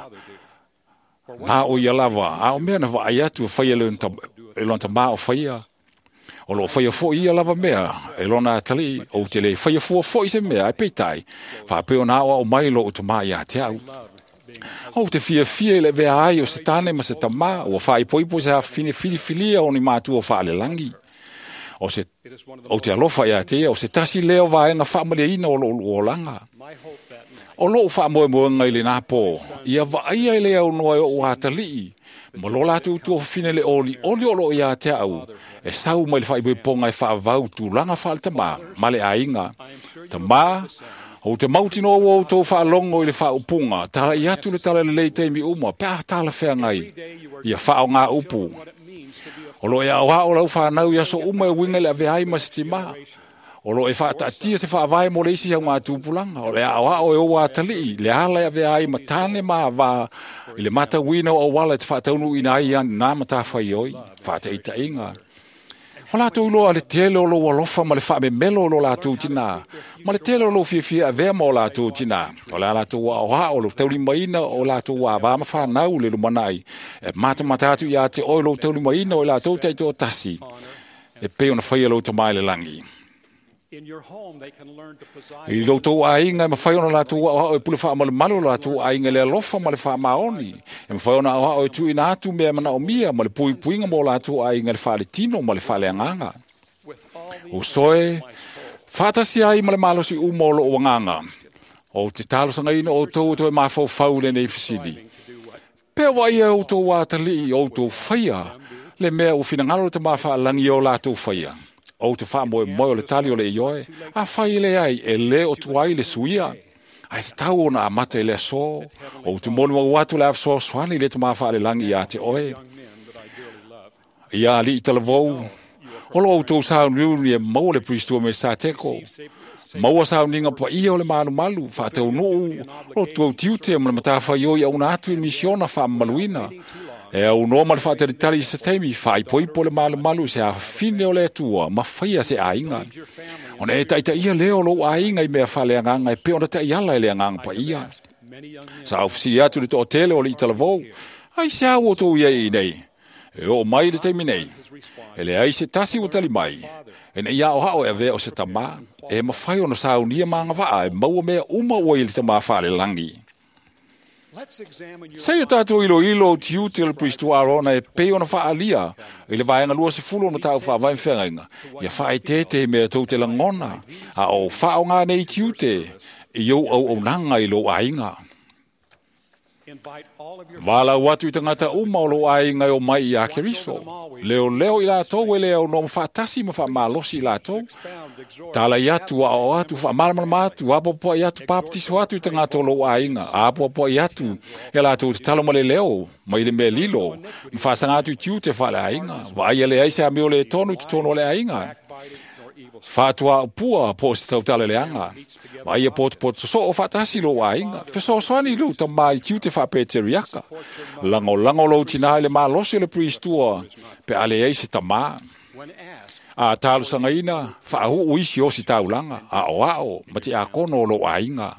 Na o ia lava, a o mea na vaai atu e faia e lona tamā o faia. O loo faia foi ia lava mea, e lona atalii, ou te le faia fua foi se mea, ai peitai, faapea ona aoao mai lou tamā ia te au. Ou te fiafia i le avea ai o se tane ma se tamā, ua faaipoipo i se afafine filifilia o ni matua faalelangi. O se, ou te alofa ia te ia, o se tasi lea o vaega faamaliaina o lou olaga. O lou faamoemoega i lenā pō, ia vaaia e le aunoa e ou atalii, ma lo latou tuafafine le olioli o loo ia te au, e sau mai le faaipoipoga e faavau tulaga faaletamā ma le aiga. Tamā, ou te mautinoa ua outou faalogo i le faaupuga, talai atu le talalelei taimi uma, pe a talafeagai, ia faaogā upu. O loo e aoao lau fanau i aso uma e uiga i le avea ai ma se timā. O lo e whaataatia se whaavae mo le isi au ngā tūpulanga. O le ao ao e oa atalii, le ala e avea ai matane ma vā i le matauina o wala e te whaataunu ina ai an nā matawhai oi, whaataitainga. O lātou iloa le tele o lou alofa ma le whaamemelo o lo lātou tina. Ma le tele o lou fiafia avea ma o lātou tina. O le a lātou ao o lo taulimaina o lātou wā ma whānau le lumanai. E matamata atu ia te oi lou taulimaina o lātou taito o tasi. E pe ona whaia lou tamai le langi. I lou tou aiga e mawhai ona lātou aoao e pule whaamalumalu o lātou aiga le alofa ma le whaamaoni. E mawhai ona aoao e tuina atu mea mana o mia ma le puipuiga mo lātou aiga le whaaletino ma le whaaleanganga. O soe, whaatasi ai ma le malosi uma o loo wanganga. O te talosanga ina o tau toe mawhau le nei fisili. Pea wa ia o tau atalii o tau whaia le mea o whinangalo te mawhaalangi o lātou whaia. O te wha moe moe o le tali o le ioe, a whai le ai e le o tuai le suia. Ai te tau ona a mate le so, o te monu au atu le awso swani le te mawha le langi ia te oe. Ia li i talavou, o lo au tau sao niu e maua le pristua me sa teko. Maua sao ninga pa ia o le malu malu, wha te unuu, o tuau tiute ma le matawhai oi au na atu i misiona wha maluina. E au noa ma le whaatalitali i se teimi, whaipoipo le malu malu se a whine o le atua, ma whaia se ainga. Ona e taita ia leo lou ainga i mea whale anganga, e pe ona tai ala e le anganga pa ia. Sa au whisi atu le to'otele o le italavou, ai se au o tō ia i nei. E o mai le teimi nei. E le ai se tasi o tali mai. E nei ao hao e avea o se tamā, e mawhai ona saunia maanga waa, e maua mea uma ua i le tamā whale langi. Sei o tātou ilo ilo o tiute o le Pristo Arona e pe ona whaalia i le vaenga lua se fulu ona tāu whaavae whengainga. Ia whae tete mea tau te langona a o whao ngā nei tiute i au au au nanga i lo ainga. Wālau atu i tangata uma o lo ainga o mai i a Keriso. Leo leo i lātou e leo no mwhaatasi ma whaamalosi i lātou. Tāla i atu, a o atu, whaamalamalama atu, apoapoa i atu, papatiso atu i tangata o lo ainga. Apoapoa i atu, e lātou te talo ma le leo, mai le mea lilo. Mwhaasanga atu i tiute whaale ainga. Waia le aise a meo le tonu te tono le ainga. Whātua upua po se tautala le anga. Waia poto poto so o whaatasi lo ainga. Fesoasoani lo tamai tiute whaapeteriaka. Lango lango lo tina le malosi le priestua pe ale ei se tamā. A talosanga ina whaahu isi o si taulanga. A o ao ma te akono lo ainga.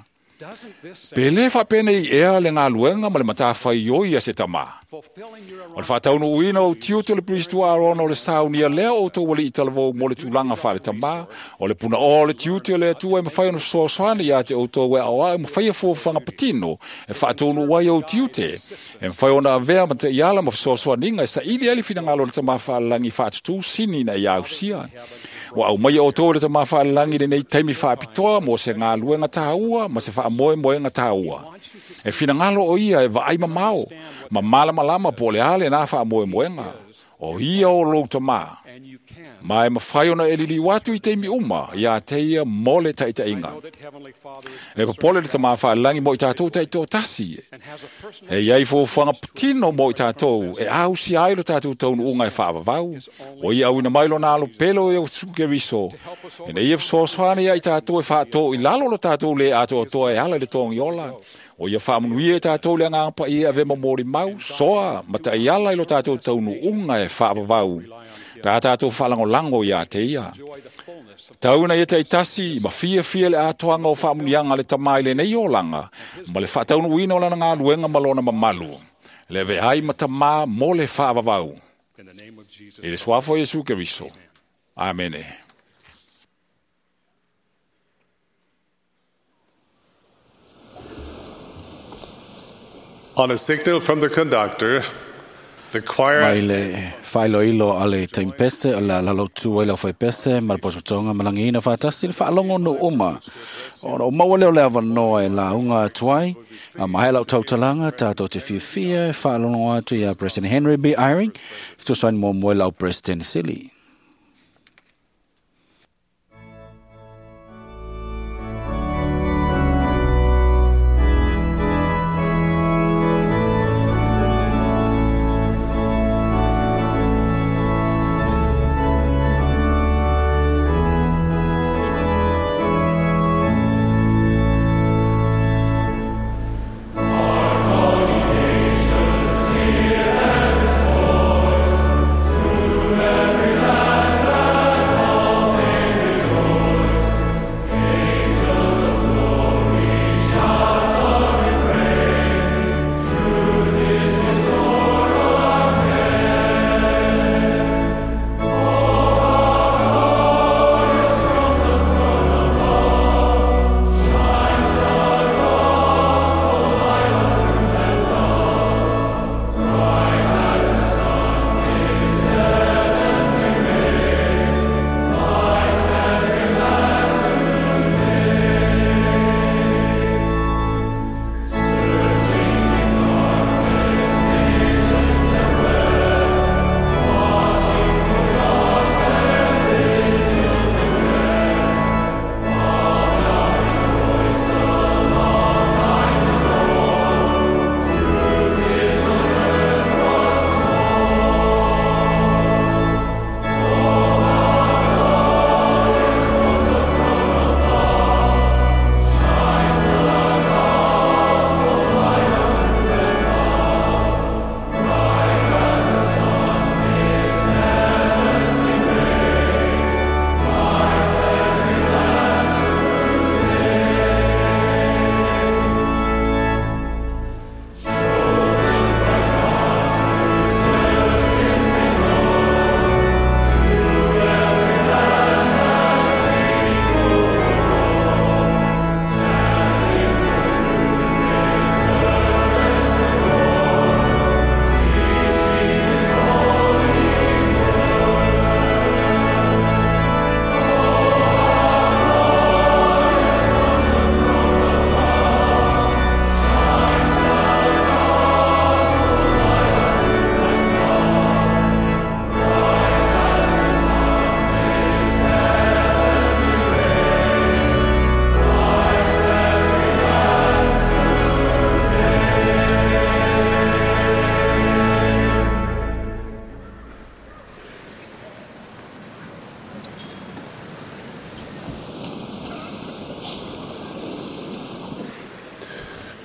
Pe le whaapene i ea le ngā luenga ma le matawhai oi a se tamā. O le whātaunu uina o tiuto le Pristo Arona o le saunia lea o tō wali i talavou mo le tūlanga whare tamā. O le puna o le tiuto le atua e mawhai ono soasoani ia te o tō wea o a e mawhai a fōwhanga patino e whātaunu wai o tiute. E mawhai ona avea ma te iala ma soasoaninga e sa ili ali whinangalo le tamā whalangi whaatutū sini na i ausia. Wa au mai o tō le tamā whalangi le nei taimi whaapitoa mo se ngā luenga tāua ma se whaamoe moenga tāua. E whinangalo o ia e vaai mamao, ma malamalama po le ale nā whaamoe moenga. O ia o lou tamā. Ma e mawhai ona e lili watu i teimi uma, ia te ia mole taitainga. E popole le tamā whalangi mo i tātou taito tasi. E iai fōwhanga patino mo i tātou, e au si ai lo tātou taunu unga e whaavavau. O ia au ina mai lo nā lo pelo e o tsukeriso. E nei e whasoaswani ia i tātou e whaato i lalo lo tātou le atoa toa e ala le tongi ola. O ia whaamunuia e tātou le anganga pa ia ave mamori mau, soa, mata i ala i lo tātou taunu unga e whaavavau. Pea tātou whalangolango ia te ia. Tauna ia te itasi, ma fia fia le atoanga o whaamunianga le tamai le nei olanga, ma le whaataunu uina o lana ngā luenga ma lona mamalu. Le ve ai matama mo le whaavavau. E le suafo Yesu Keriso. Amene. On a signal from the conductor, the choir Mai le whailoilo a le taimpese o la lalotu ai lau whaipese ma le posotonga malangiina whaatasi le whaalongo no uma. Ona o maua leo le awanoa e la unga atuai, a mahe lau tautalanga tātou te fiafia e whaalongo atu ia President Henry B. Eyring, fitosoani mo moe lau President Sili.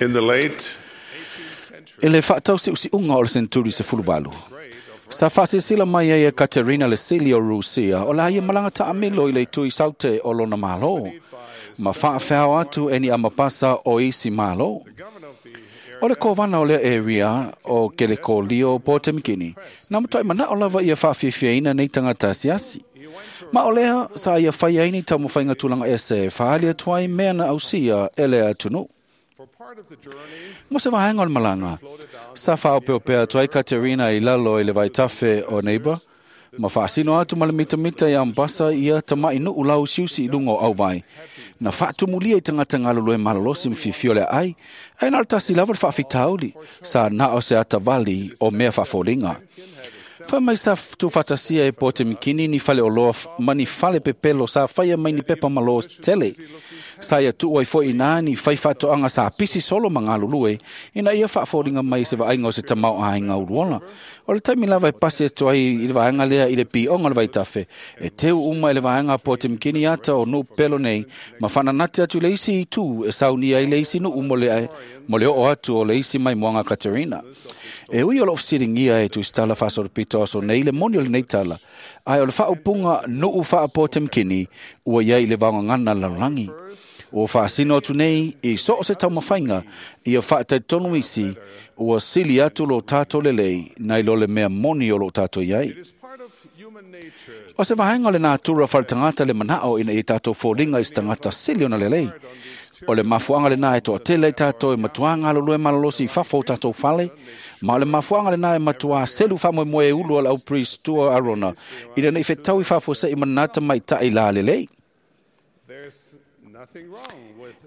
In the late I le whaatausiusiunga o le senturi 18. Sa whaasisila mai ai e Katerina le Sili o Rusia o la ia malanga taamilo i le tui saute o lona malo. Ma whaawhao atu e ni amapasa o isi malo. O le kovana o lea area o Kelekolio po te mikini. Nā matoi mana o lava ia whaafiafiaina nei tangata siasi. Ma o lea sa ia whai aini tau mawhainga tūlanga ese whaali atuai mea na ausia e lea atunu. Mo se vahenga o le malanga. Sa whaopeopea atu ai Katerina i lalo i le vaitafe o neighbor. Ma whaasino atu ma le mitamita i ambasa ia tamai nuu lau siusi i lunga o auwai. Na whaatumulia i tangata ngalulue malalosi mwhiwhio le ai, ai na tasi lava le whaafitauli, sa na o se atavali o mea whaafolinga. Wha mai sa tūwhatasia e pote mikini ni whale o loa mani whale pepelo sa whaia mai ni pepa malo tele. Sa ia tuua i fo i nā ni whai whatoanga sa pisi solo mangalulue ina ia whaafolinga mai se vainga o se tamau a inga uruola. O le taimi lava e pasi atu ai i le vaenga lea i le pionga le vaitafe. E teu uma i le vaenga pote mikini ata o nū pelo nei ma whananate atu le isi i tū e saunia i le isi nuu mo le o atu o le isi mai moanga Katerina. E ui o lo ofisiringia e tuistala whasoropito aso nei le moni o le nei tala. Ai o le whaupunga nuu whaapo te mkini ua iai le vaongangana larolangi. O whaasino atu nei i so o se taumawhainga ia whaataitonu isi ua sili atu lo tātou lelei nei lo le mea moni o lo tātou iai. O se vahenga le nātura whaletangata le manao ina i tātou fōlinga i tangata sili ona lelei. O le mafuanga le nā e toa tele i tātou e matua ngalulue malalosi i fafo o tātou fale. Ma o le mafuanga le nā e matua selu whamoe moe e ulu ala au priest tua Arona. Ina nei whetau i fafo se i manata mai tai la lelei.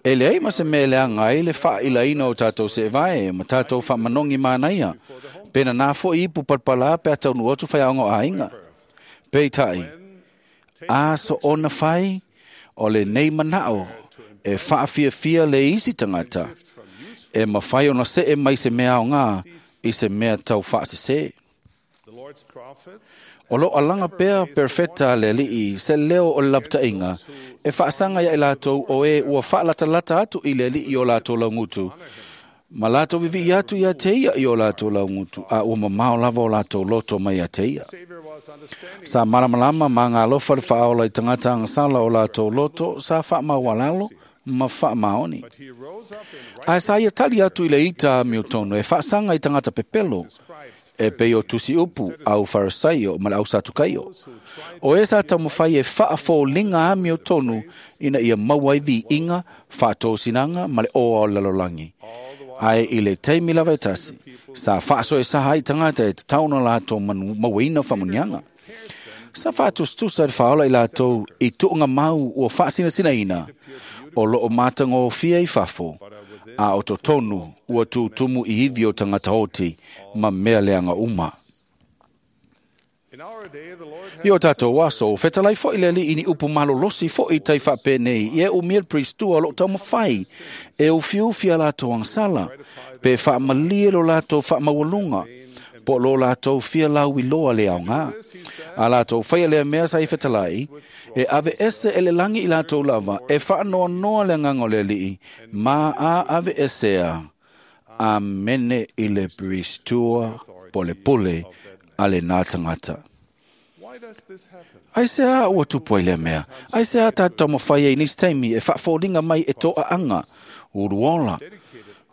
E leai ma se mea leaga ai le faailaina o tātou seevae ma tātou faamanongi manaia. Pena nā fo'i ipu palapala pe a taunuu atu faiaoga o aiga. Peitai, a so ona fai o lenei manao e faafiafia le isi tagata e mafai ona see mai se mea aogā i se mea tau faasesē. O lo alanga pea perfeta le alii se leo o le lapataʻiga e faasaga ia i latou o e ua faalatalata atu i le alii o latou laugutu ma latou vivii atu ia te ia i o latou laugutu a ua mamao lava o latou loto mai ia te ia. Sa malamalama ma galofa le faaola i tagata agasala o latou loto sa faamaualalo ma faamaoni. Ae sa ia tali atu i le ita amiotonu e faasaga i tagata pepelo e pei o tusi upu au Farisaio ma le au Satukaio. O e sa taumafai e faafoliga amiotonu ina ia maua ai viiga, faatosinaga ma le oa o le lalolagi. Ae i le taimi lava e tasi, sa faasoesaha ai tagata e tatau ona latou mauaina faamuniaga. Sa faatusatusa le faaola i latou i tuuga mau ua faasinasinaina o loo matagofie i fafo, a o totonu ua tutumu i ivi o tagata oti ma mea leaga uma. I o tātou aso, fetalai fo'i le alii ni upu malolosi fo'i tai faapenei i e umia le priestua o loo taumafai e ufiufi a latou agasala, pe faamalie lo latou faamaualuga, po lo latou fia lauiloa le aogā. A latou faia lea mea sa i fetalai, e ave ese e le lagi i latou lava, e faanoanoa le agaga o le alii, ma a ave esea. Amene i le priestua polepole a le nā tagata. Ai se a ua tupu ai lea mea. Ai se a tātou taumafai ai nisi taimi e faafoliga mai e toaʻaga, uluola,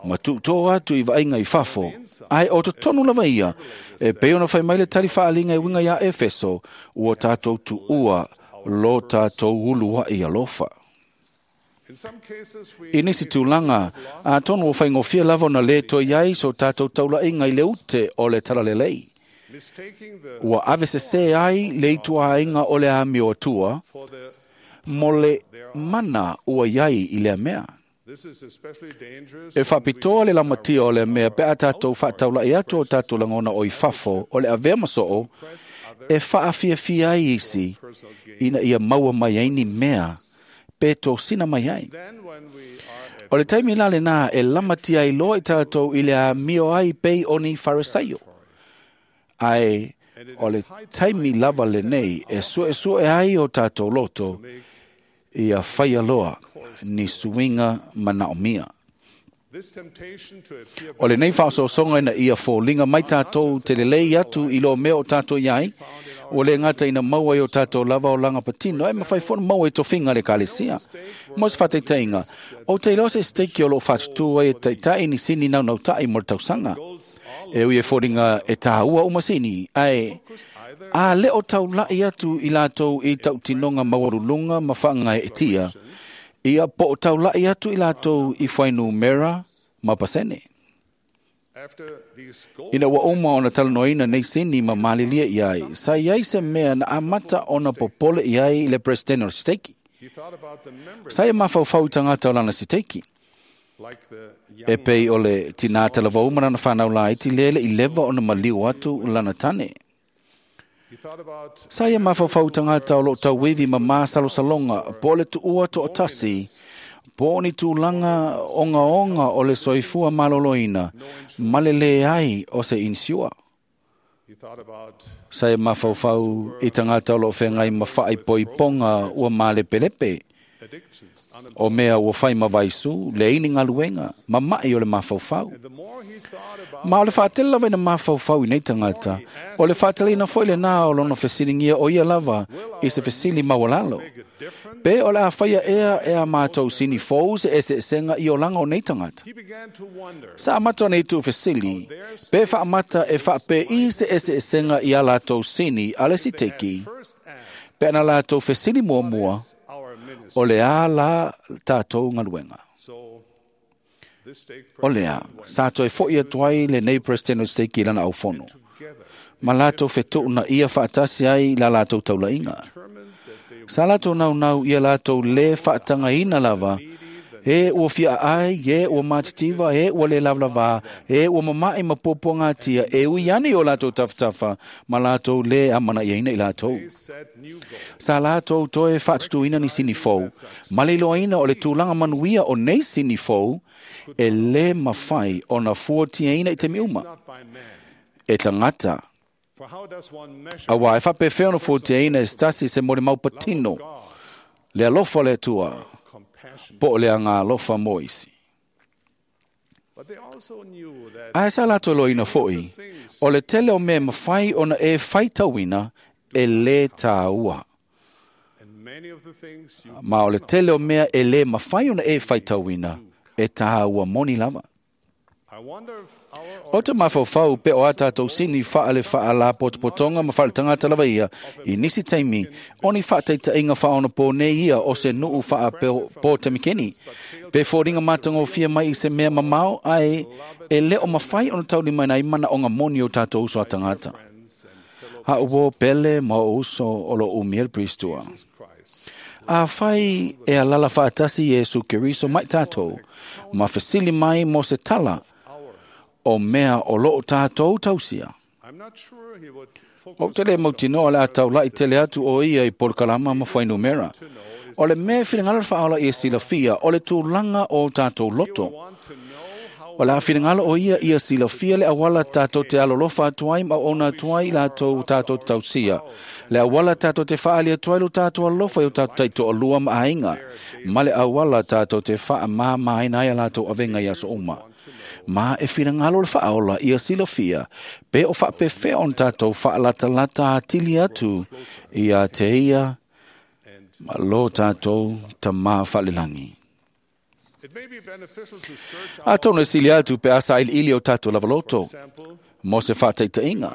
ma tuutō atu i vaaiga i fafo. Ae o totonu lava ia, e pei ona fai mai le tali faaliga e uiga iā Efeso, ua tātou tuua lo tātou uluaʻi alofa. I nisi tulaga, atonu ua faigofie lava ona lē toe ai so tātou taulaʻiga i le ute o le talalelei. Ua avesesē ai le ituāiga o le amio atua mo le mana ua iai i lea mea. E faapitoa le lamatia o lea mea pe a tātou faataulaʻi atu o tātou lagona o i fafo o le avea ma soo e faafiafia ai isi ina ia maua mai ai ni mea pe tosina mai ai. O le taimi la lenā e lamatia ai loa i tātou i le amio ai pei o ni Farisaio. Ae o le taimi lava lenei e suesue ai o tātou loto ia faia loa ni suiga manaomia. O lenei faaosoosoga ina ia foliga mai tatou te lelei atu i lo mea o tatou i ai, ua le gata ina maua i o tatou lava olaga patino, e mafai foi ona maua i tofiga a le Ekalesia. Mo se faataitaiga, ou te iloa se siteiki o loo faatutū ai e taitai ni sini naunautai mo le tausaga. E ui e foliga e tāua uma sini, ae a le o taulai atu i latou i tautinoga maualuluga ma faagaeetia, ia po o taulai atu i latou i fuainumera ma pasene. Ina ua uma ona talanoaina nei sini ma malilie i ai, sa i ai se mea na amata ona popole i ai le Presidente o le siteiki. Sa ia mafaufau i tagata o lana siteiki. E pei o le tinā talavou ma lana whanau laiti lele i leva ona maliu atu lana tane. Sa ia mafaufau i tagata o loo tauivi ma masalosaloga po o le tuua toatasi, po o ni tulaga ogaoga o le soifua maloloina ma le leai o se inisiua. Sa ia mafaufau i tagata o loo feagai ma faaipoipoga ua malepelepe, o mea ua fai ma vaisu, leai ni galuega, ma mai o le mafaufau. Ma o le faatele lava ina mafaufau i nei tagata, o le faateleina foi lenā o lona fesiligia o ia lava i se fesili maualalo. Pe o le a faia ea e a mātou sini fou se eseesega i olaga o nei tagata. Sa amata ona itu fesili, pe faamata e faapei se eseesega i a latou sini a le siteki, pe ana latou fesili muamua, o le a la tātou galuega. O lea, sa toe foi atu ai lenei President o Siteiki i lana aufono. Ma latou fetuuna ia faatasi ai la latou taulaiga. Sa latou naunau ia latou le faatagaina lava, e ua fia ai, e ua matitiva, e ua le lavalava, e ua mama'i ma puapuagatia, e ui ane o latou tafatafa, ma latou le amanaiaina i latou. Sa latou toe faatutuina ni sini fou, ma le iloaina o le tulaga manuia o nei sini fou, e le mafai ona fuatiaina i taimi uma. E tagata, auā e faapefea ona fuatiaina e se tasi se molimau patino, le alofa o le Atua, po o le agalofa mo isi. Ae sa latou iloaina foi, o le tele o mea e mafai ona e faitauina e lē tāua. Ma o le tele o mea e lē mafai ona e faitauina e tāua moni lava. O te mafaufau pe o a tātou sini faale faalapotopotoga ma faaletagata lava ia i nisi taimi o ni faataitaiga faaonapo nei ia o se nuu faapōtemikeni. Pe foliga matagofie mai i se mea mamao ae e le o mafai ona taulimaina ai manaoga moni o tātou uso a tagata. Ha'u pele ma o uso o lo umia le Pristua. A fai e alala faatasi Iesu Keriso mai tātou, ma fesili mai mo se tala o mea o loo tātou tausia. O te le mautinoa le a taulai tele atu o ia i polokalama ma fuainumera. O le mea finagalo le faaola ia silafia o le tulaga o tātou loto. O le a finagalo o ia ia silafia le auala tātou te alolofa atu ai ma ona atu ai i latou tātou tausia. Le auala tātou te faali atu ai lo tātou alofa i o tātou taitoalua ma aiga. Ma le auala tātou te faamāmāina ai a latou avega i aso uma. Ma e finagalo le faaola ia silafia, pe o faapefea ona tātou faalatalata atili atu ia te ia ma lo tātou tamā faalelagi. Atonu e sili atu pe asa iliili o tātou lavaloto, mo se faataitaiga.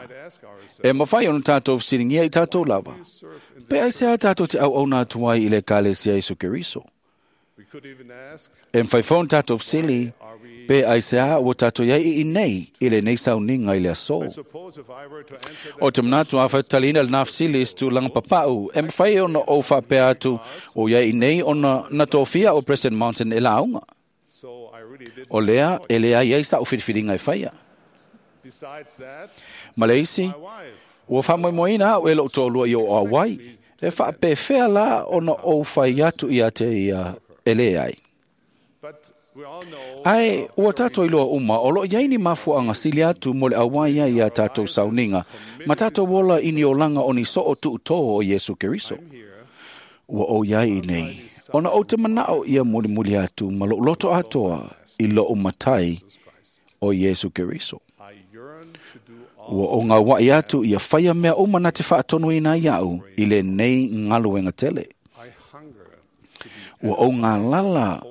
E mafai ona tātou fesiligia i tātou lava. Pe ai se a tātou te auauna atu ai i le Ekalesia Iesu Keriso. E mafai foi ona tātou fesili, pe ai se a ua tātou iai i nei i lenei sauniga i le aso. O te manatu a faitaliina lenā fesili i se tulaga papau, e mafai ona ou faapea atu o iai i nei ona na tofia o President Mountain e lauga. O lea e leai ai sa'u filifiliga e faia. Ma le isi, ua faamoemoeina a'u e lo'u toalua i o auai, e faapefea la ona ou fai atu ia te ia e leai. Ae ua tātou iloa uma o loo iai ni mafuaaga sili atu mo le auai ai ia tātou sauniga ma tātou ola i ni olaga o ni soo tuutō o Iesu Keriso. Ua ou iai i nei, ona ou te manao ia mulimuli atu ma lou loto atoa i lou matai o Iesu Keriso. Ua o ngauai atu ia whaia mea uma na te whaatonuina iau i le nei ngaluenga tele. Ua o ngā lala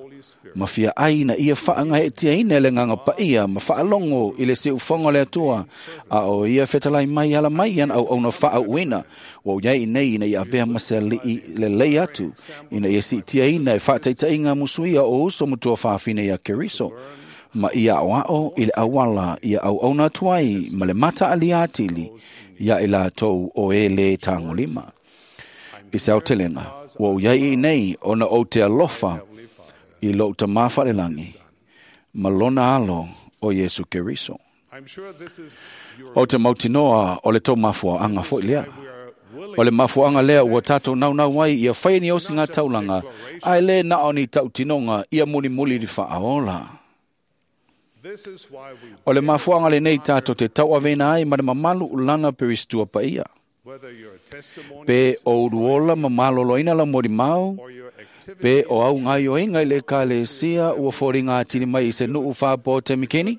ma fia ai na ia whaanga e tia ina le nganga paia ma whaalongo i le se ufonga le atua a o ia whetalai mai ala mai an au ona wha uina wa iai nei ina ia avea mase li le lei atu ina ia si tia ina e whaataita inga musuia o uso mutua whaafine ia Keriso ma ia o ao i le awala ia au ona tuai ma le mata aliatili ia i la tou o e le tangolima. I se autelenga, ua iai i nei ona o te alofa i lou tamā whalelangi, ma lona alo o Iesu Keriso. O te mautinoa o le tō mafua anga foi lea. O le mafuanga lea ua tātou naunau ai ia whai ni osi ngā taulanga, ai le na o ni tautinonga ia muli muli li whaaola. O le mafuanga le nei tātou te tauavena ai ma le mamalu ulana peristua paia. Pe o uruola ma maloloina la mori mau, pe o au ngai o inga i le kalesia ua fori ngā tini mai i se nuu whāpo te mikini,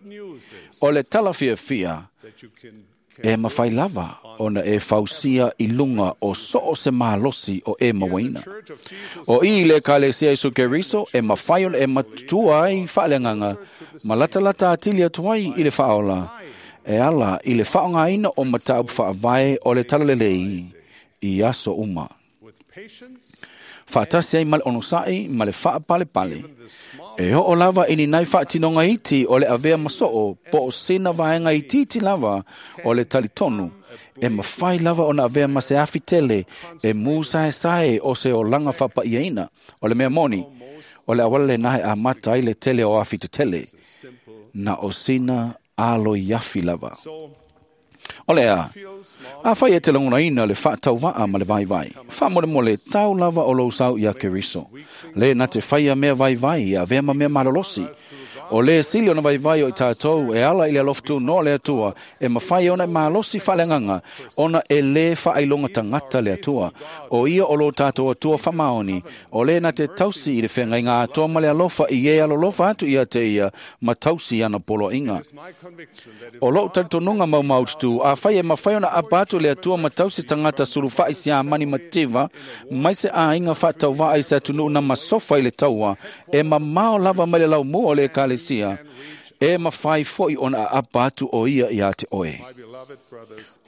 o le tala fia fia, e mawhai lava ona e fausia i lunga o soo se malosi o e mawaina. O i le kalesia Isu Keriso e mawhai ona e matutua ai whaalenganga, ma latalata atili atu ai i le whaola, e ala i le whaongaina o mataupu whaavae o le talalelei i aso uma. Whaatasi ai male onosai, ma le whaapale pale. E ho o lava ini nai whaatinonga iti o le avea masoo, po o sina vaenga iti lava o le talitonu. E mawhai lava o na avea mase afi tele, e mūsae sae o se o langa whapaiaina, o le mea moni, o le awale nahe a mata i le tele o afi te tele. Na o sina alo i afi lava. O lea, a whai e te langona ina le whaatau ma le vai vai. Wha mole mole tau lava o lou sau ia Keriso. Le na te whaia mea vai vai a vea ma mea malolosi. O le sili ona vai vai o i tātou e ala i le aloftu no le atua e mawhai ona e malosi whalenganga ona e le whaailonga tangata le atua. O ia o lo tātou atua whamaoni o le na te tausi i le whenga i ngā atoa ma le alofa i e alolofa atu ia te ia ma tausi ana polo inga. O lou talitonunga mau maututu a whai e mawhai ona apa atu le atua ma tausi tangata suluwhai si a mani mativa mai se a inga whaatau ai se atunu na masofa i le taua e mamao lava mai le lau mua o le ekalesia e mawhai foi ona a apa atu o ia ia te oe.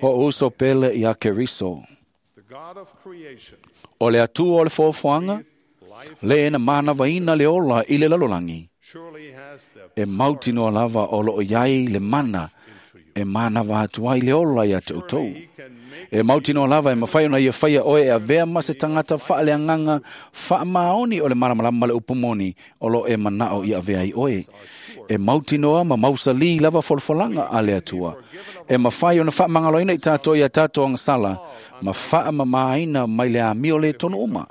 O uso pele ia Keriso. O le atua o le fōfuanga, le ena mānawaina le ola i le lalolangi. E mautinoa lava o loo iai le mana e mānawa atu ai le ola ia te utou. E mautinoa lava e mawhai ona ia whaia oe e avea ma se tangata whaaleanganga whaamaoni o le maramarama le upumoni o lo e manao i avea i oe. E mautinoa ma mausali lava folfolanga a le atua. E mawhai ona whaamangaloina i tātou ia tātou angasala ma whaamamaaina mai le amio le tonu uma.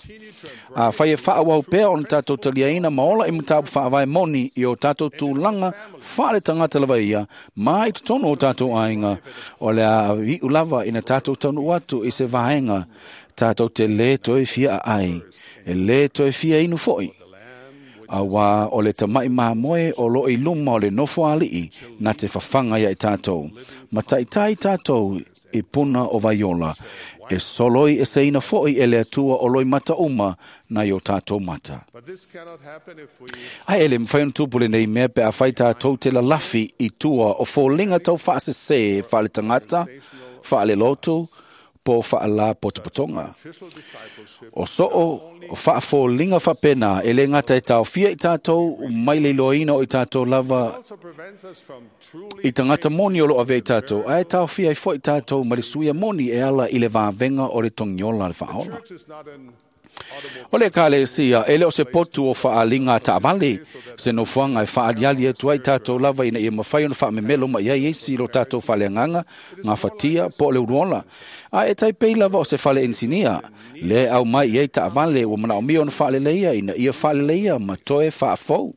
A whai e whaawau pea ona tātou taliaina ma ola i matapu whaavae moni i o tātou tūlanga whaale tangata lava ia ma i te tonu o tātou ainga o le a iu lava ina tātou taunu atu i se vaenga tātou te le toe fia ai e le toe fia inu foi. A wā o le tamai māmoe o lo i luma o le nofo ali'i na te whawhanga ia i tātou. Ma taitai tātou i puna o vaiola e soloi e seina foi e le atua o loi mata uma na i o tātou mata. Ai ele mwhai ona tupule nei mea pe a whai tātou te lalafi i tua o fōlinga tau whaasese whaale tangata, whaale lotu, po whaala potopotonga. O soo o whaafōlinga whapena e le ngata e tau fia i tātou mai le iloina o i tātou lava i tangata moni o lo ave i tātou. Ai tau fia i fo i tātou ma le suia moni e ala i le vāvenga o le tongiola le whaola. O le kalesia, e le o se potu o whaalinga taavale, se nofuanga e whaaliali atu ai tātou lava ina ia mawhai ona whaamemelo ma ia esi lo tātou whaleanganga, ngā whatia, po le uruola. A e taipei lava o se whale insinia, le au mai i ei taavale ua mana o mio ona whaaleleia ina ia whaaleleia ma toe whaafou.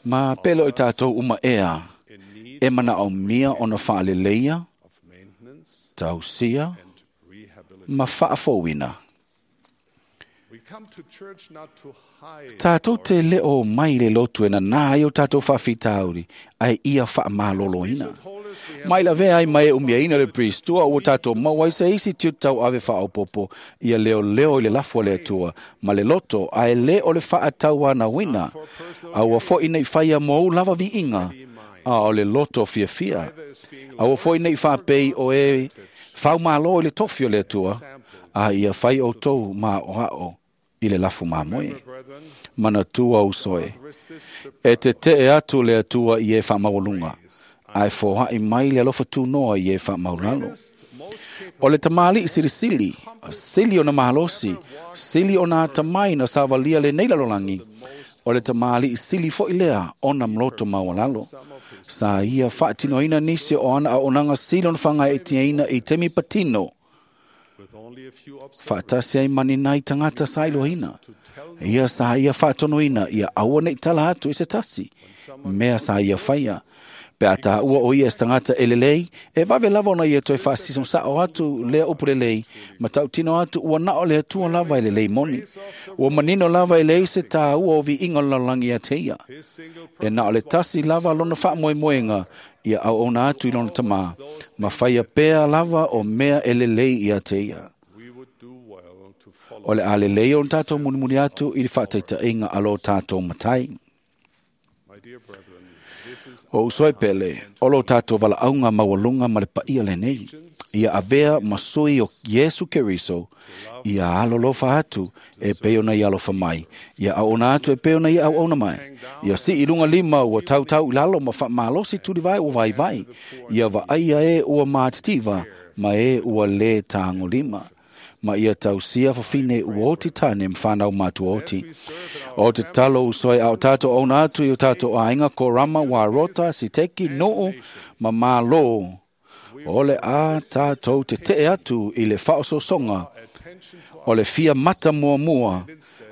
Ma pelo i tātou uma ea, e mana o mia ona whaaleleia, tausia, ma faafouina. Tātou te leo mai le lotu e nā ai o tātou whawhitauri, ai ia whaamaloloina. Mai la vea ai mai e umiaina le pristua ua tātou mau ai se isi tiu tau ave whaopopo ia leo leo i le lafua le atua, ma le loto ai le o le whaatau ana wina, a ua foi nei whaia mou lava vi inga, a o le loto fia fia. A ua foi nei whapei o e whau malo i le tofi o le atua, a ia whai o tau ma o ao i le lafu mamoe. Mana tua usoe. E te te e atu le atua i e whamawalunga. Ai fohai mai le alofa tūnoa i e whamaulalo. O le tamali i silisili, sili o na mahalosi, sili o na tamai na savalia le nei lalolangi. O le tamali i sili fo i lea o na mloto mawalalo. Sa ia whaatinoina nisi o ana a onanga sili ona whanga e tiaina i temi patino. Whaatasi ai mani nai tangata sa ilohina. Ia sa ia whaatonoina, ia aua nei tala atu i se tasi. Mea sa ia whaia. Pe ata ua o ia tangata e lelei, e vave lava ona ia toe whaasison sa o atu lea upu lelei, ma tautino atu ua nao lea tua lava e lelei moni. Ua manino lava e lei se tā ua o vi inga lalangi a te ia. E nao le tasi lava lona whaamoemoenga, ia au ona atu i lona tamā, ma whaia pea lava o mea e lelei ia te ia. O le a lelei o tātou munimuni atu i le whaataita inga alo tātou matai. O usoi pele, o lo tātou wala aunga mawalunga ma le paia le nei. Ia avea masui o Yesu Keriso, ia alolofa atu e peona i alofa mai. Ia aona atu e peona i auauna mai. Ia si i lunga lima ua tautau i lalo ma whaamalosi turiwai ua vai vai. Ia vaaia e ua mātitiva, ma e ua le tāngo lima. Ma ia tausia whawhine ua oti tāne mwhanau mātua oti. O te talo usoi au tātou ona atu i o tātou ainga ko rama wā rota siteki noo ma mālō. O le a tātou te te atu i le whaososonga. O le fia mata mua mua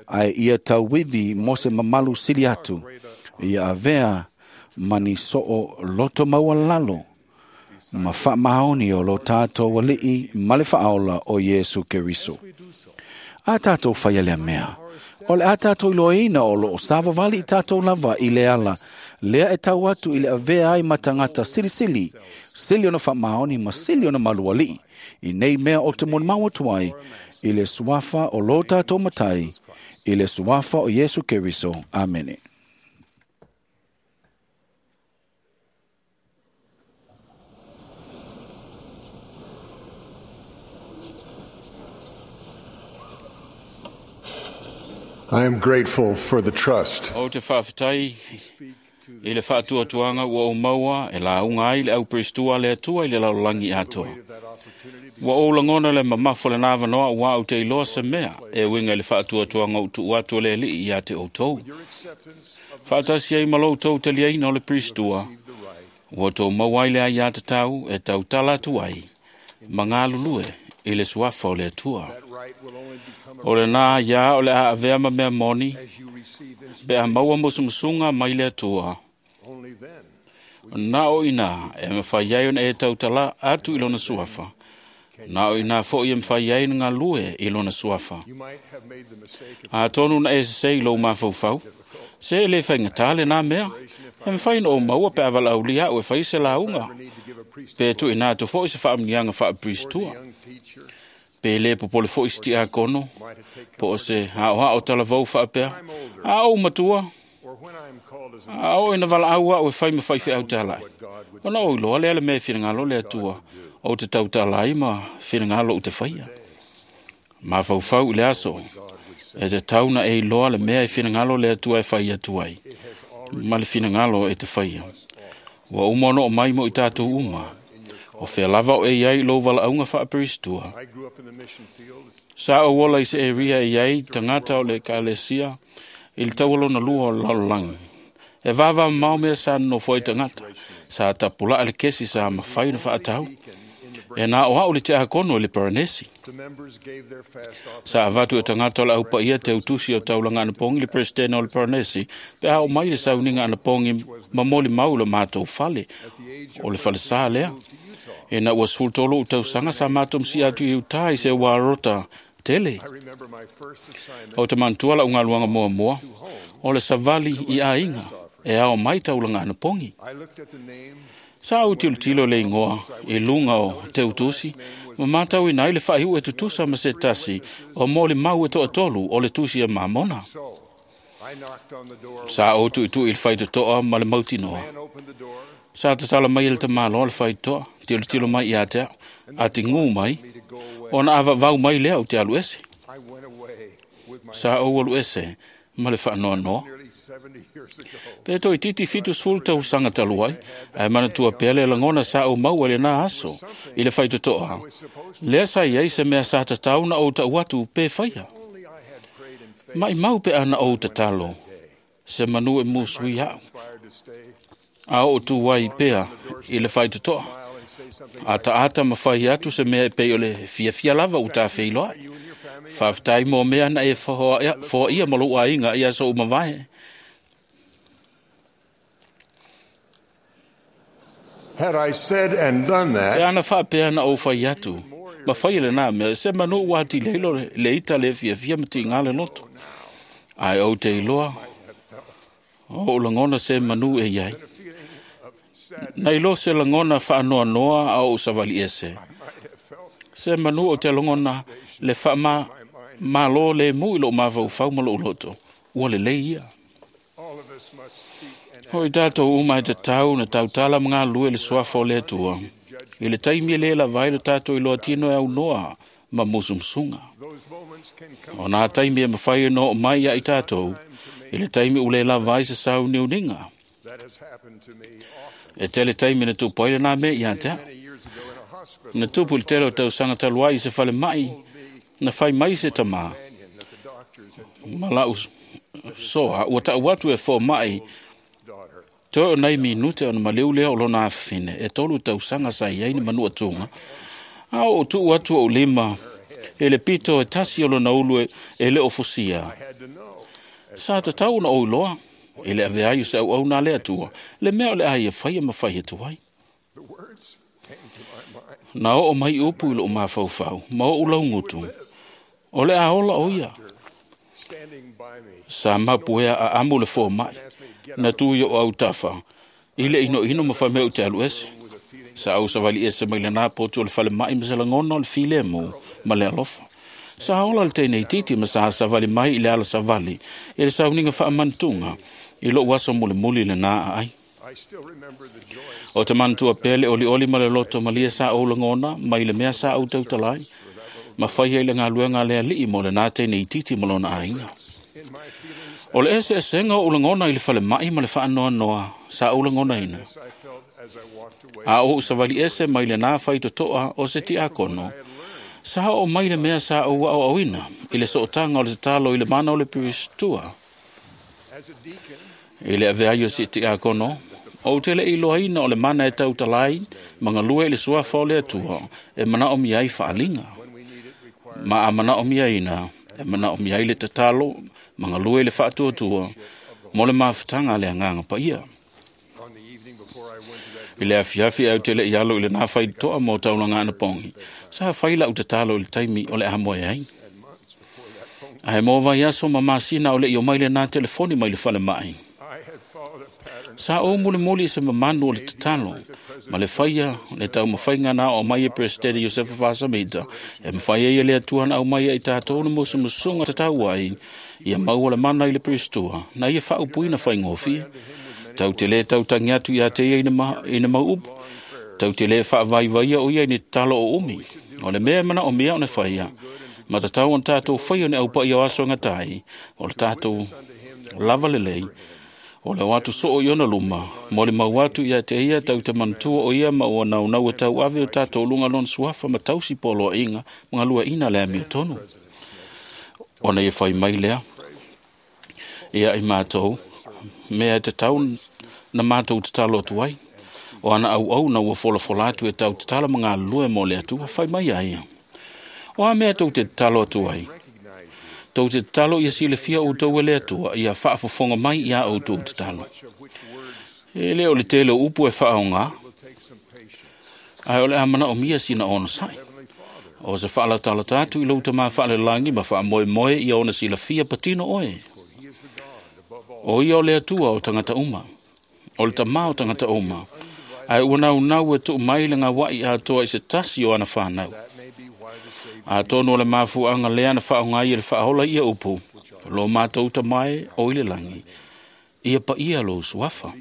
ai ia tauwiwi mo se mamalu sili atu. Ia avea mani soo loto maualalo. Ma whaamaoni o lo tātou alii ma le whaaola o Yesu Keriso. A tātou whaia lea mea. O le a tātou iloina o lo o sawawali i tātou lava i le ala. Lea e tau atu i le avea ai matangata silisili. Sili ona whaamaoni ma sili ona malualii. I nei mea o te moni mau atu ai. I le suafa o lo tātou matai. I le suafa o Yesu Keriso. Amene. I am grateful for the trust. O te whaafetai i le whaatuatuanga ua o maua e la unga ai le au pristua le atua i le lalolagi atoa. Ua o langona le mamafo le nā wanoa ua au te iloa se mea e winga i le whaatuatuanga o tu atu le li i a te outou. Whaatasi ai malo tau te liaina o le pristua. Ua tō maua ai le ai a te tau e tau tala atu ai. Mangalulue i le suafa o le atua. O le nā ia o le a avea ma mea moni, pe a maua musumusunga mai le atua. Nā o ina e mwhai ai ona e tautala atu i lona suafa. Nā o ina fo i e mwhai ai ngā lue i lona suafa. A tonu na e se i lou mawhaufau. Se e le whaingatā le nā mea. E mwhai no o maua pe awala au lia o e whai se launga. Pe tu ina tu fo i se whaamnianga whaapristua. Pe le popole fo i sti a kono. Po o se hao hao talavau whaapea. A o matua. A o ina wala au au e whai ma whai whiau tālai. Ona o iloa lea le mea whiringalo le atua. O te tau tālai ma whiringalo u te whaia. Ma whauwhau i le aso. E te tauna e iloa le mea e whiringalo le atua e whai atu ai. Ma le whiringalo e te whaia. Ua uma no mai mo i tātou uma. O whea lava o e iai lo wala aunga whaaperistua. Sa o wola i se e ria e iai tangata o le kalesia i le taualona lua o lalolangi. E vava mau mea sa no foi tangata. Sa tapula ale kesi sa mawhai na whaatau. E nā o hao le te akono le Paranesi. Sa avatu e tangata o le aupa ia te utusi o taulanga anapongi le presidente o le Paranesi. Pe hao mai le sauninga anapongi mamoli mau le mātou fale o le fale sa lea. E na ua 13 ou tausaga sa matou masi'i atu i utā i se uarota tele. O te manatua la'u galuega muamua o le savali i aiga e ao mai taulaga anapogi. Sa ou tilotilo le igoa i luga o teutusi ma matauina ai le faaiu'u e tutusa ma se tasi o molimau e to'atolu o le tusi a Mamona. Sa ou tu'itu'i i le faitoto'a ma le mautinoa. Sa tatala mai e le tamāloa le faitotoa, tilotilo mai ia te a'u, atigū mai, ona avavau mai lea ou te alu ese. Sa ou alu ese ma le faanoanoa. Pe toeitiiti 70 tausaga talu ai, ae manatua pea le lagona sa ou maua i lenā aso i le faitotoa. Lea sa i ai se mea sa tatau na ou ta'u atu pe faia. Maʻimau pe ana ou tatalo, se manu e musui a'u, a oo tu ai pea i le faitotoa. Ataata ma fai atu se mea e pei o le fiafia lava ua tafeiloai. Faafetai mo mea na e foaia ma lou aiga i aso uma vae. Had I said and done Pe that, ana faapea na ou fai atu, ma faia lenā mea, se manu ua atili ai lo le ita le fiafia ma tigā le loto. Ae ou te iloa, o ou lagona se manu e iai. Na iloa se lagona faanoanoa a ou savali ese. Se manu o te lagona le faama malo le mu i lou mafaufau ma lou loto. Ua lelei ia. O i tatou uma e tatau na tautala ma galulue i le suafa o le Atua. I le taimi e lē lava ai lo tatou iloa tino e aunoa ma musumusuga. O nā taimi e mafai ona oo mai ia i tatou, i le taimi ua lē lava ai se sauniuniga. E tele taimi na tupu ai lenā mea ia te a'u. Na tupu i le tele o tausaga talu ai i se falema'i, na fai mai se tamā. Ma la'u soa ua ta'u atu e foma'i toe o nai minute ona maliu lea o lona afafine e 3 tausaga sa i ai ni manu'atuga. A oo tu'u atu o'u lima e le pito e tasi o lona ulu e le o fusia. Sa tatau ona ou iloa e le avea ai o se auauna a le Atua le mea o le a ia faia ma fai atu ai. Na oo mai upu i lo'u mafaufau ma o'u laugutu, o le a ola o ia. Sa mapuea aamu le foma'i, na tu i o'u autafa, i le inoino ma faimea ou te alu ese. Sa ou savali ese mai lenā potu o le falema'i ma se lagona o le filemu ma le alofa. Sa ola le teine itiiti ma sa savali mai i le ala savali i le sauniga faamanatuga i lo'u aso mulimuli lenā aai. O te manatua pea le olioli ma le loto malie sa ou lagona mai le mea sa ou tautalai, ma faia i le galuega a le Alii mo lenā teine itiiti ma lona aiga. O le eseesega o ou lagona i le falema'i ma le faanoanoa sa ou lagonaina. A ou savali ese mai lenā faitotoa o se tiakono, sa oo mai le mea sa ou aoaoina i le sootaga o le tatalo i le mana o le Piristua. I le avea ai o se tiakono, ou te le iloaina o le mana e tautalai ma galue i le suafa o le Atua e manaomia ai faaliga. Ma a manaomiaina, e manaomia ai le tatalo ma galue i le faatuatua mo le mafutaga a le Agaga Paia. I le afiafi au te le'i alo i lenā faitotoa mo taulaga anapogi, sa fai la'u tatalo i le taimi o le a moe ai. Ae mo vaiaso ma masina o le'i o mai lenā telefoni mai le falema'i. Sa ou mulimuli i se mamanu o le tatalo, ma le faia le taumafaiga na oo mai e Peresetene Iosefa Fasamita, e mafai ai e le Atua na aumai ai tatou le musumusuga tatau ai, ia maua le mana i le Piristua, na ia faaupuina faigofie. Tau te lē tautagi atu ia te ia i na mau upu. Tau te lē faavaivaia o ia i ni tatalo o umi. O le mea e manaomia ona faia, ma tatau ona tatou faia ni aupaia o aso e gatai, o le tatou lava lelei, o le o atu soo i ona luma, mo le mau atu ia te ia tau te manatua o ia ma ua naunau e tauave o tatou luga lona suafa ma tausi poloaiga ma galueaiina le amiotonu. Ona ia fai mai lea, ia i matou, mea e tatau na matou tatalo atu ai. O ana auauna ua folafola atu e tau tatala ma galulue mo le Atua, fai mai ai ia. O a mea tou te tatalo atu ai? Tou te tatalo ia silafia outou e le Atua, ia faafofoga mai iā outou tatalo. E le o le tele o upu e faaogā. Ae o le a manaomia sina onosai. O se faalatalata atu i lou tamā faalelagi ma faamoemoe ia ona silafia patino oe. O ia o le Atua o tagata uma, o le tamā o tagata uma, ae ua naunau e tuu mai le gaua'i atoa i se tasi o ana fanau. Atonu o le mafuaaga lea na faaaoga ai e le Faaola ia upu, lo matou tamae o i le lagi, ia paia lou suafa.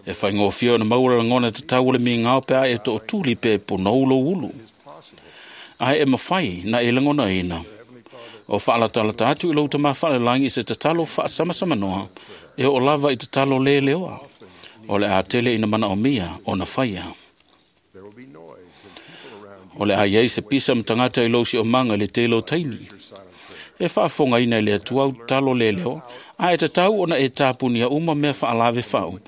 E faigofie ona maua le lagona tatau o le migao pe a e tootuli pe ponou lou ulu. Ae e mafai na e lagonaina o faalatalata atu i lou tamā faalelagi i se tatalo faasamasamanoa e oo lava i tatalo lē leoa. O le a tele ina manaomia ona faia. O le a iai se pisa ma tagata i lou siomaga i le tele o taimi. E faafofogaina e le Atua au tatalo lē leoa, ae tatau ona e tapunia uma mea faalave fau,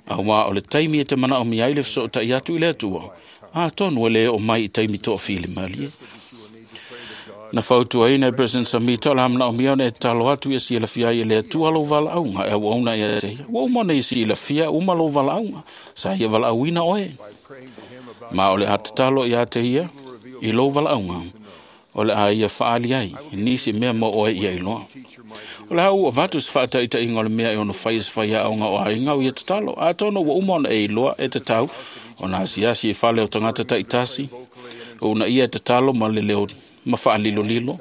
auā o le taimi e te manaomia ai le fesootai atu i le Atua, atonu e lē oo mai i taimi toafilimalie. Na fautuaina e President Samita o le a manaomia ona e tatalo atu ia silafia ai e le Atua lou valaauga e auauna ia te ia. Ua uma ona ia silafia uma lou valaauga, sa ia valaauina oe. Ma o le a tatalo ia te ia i lou valaauga, o le a ia faaali ai nisi mea mo oe ia iloa. O le a ua avatu se faataitaiga o le mea e ono fai e se faiaoga o aiga o ia tatalo. Atonu ua uma ona e iloa e tatau ona asiasi i fale o tagata taitasi, ona ia e tatalo ma le leo ma faalilolilo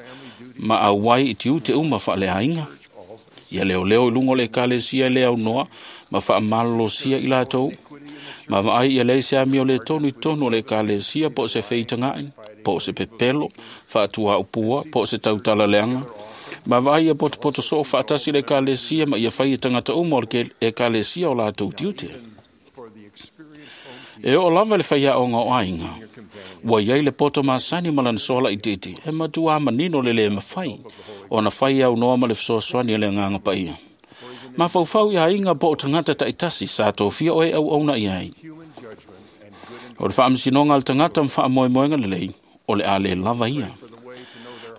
ma auai i tiute uma faaleaiga. Ia leoleo i luga o le ekalesia le aunoa ma faamalolosia i latou. Ma vaai ia leai se amio le tonu i totonu o le ekalesia po o se feitaga'i, po o se pepelo, faatuaupua, po o se tautalaleaga. Ma vaai ia potopoto soo faatasi le ekalesia ma ia fai e tagata uma o le ekalesia o latou tiute. E oo lava le faiaoga o aiga, ua iai le poto masani ma lana sola itiiti, e matuā manino le lē mafai ona fai aunoa ma le fesoasoani a le Agaga Paia. Mafaufau i aiga po o tagata taitasi sa tofia oe auauna i ai. O le faamasinoga a le tagata ma faamoemoega lelei, o le a lē lava ia.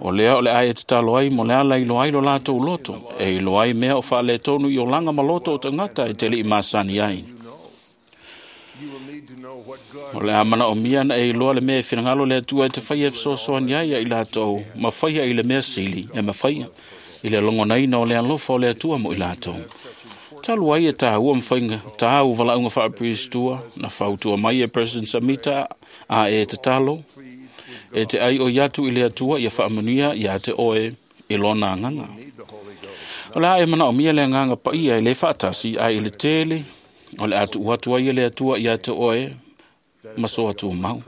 O lea o le a e tatalo ai mo le ala iloa ai lo latou loto, e iloa ai mea o faaletonu i olaga ma loto o tagata e te li'i masani ai. O le a manaomia na e iloa le mea e finagalo le Atua e te faia e fesoasoani ai ia i latou, ma faia i le mea sili e mafaia, i le logonaina o le alofa o le Atua mo i latou. Talu ai e tāua ma faiga tāu valaauga faapiristua, na fautua mai e President Samita a e tatalo, e te ai oi atu i le Atua ia faamanuia ia te oe i lona agaga. O le a e manaomia le Agaga Paia e le faatasi ae i le tele, o le a tuu atu ai e le Atua ia te oe ma so atumau.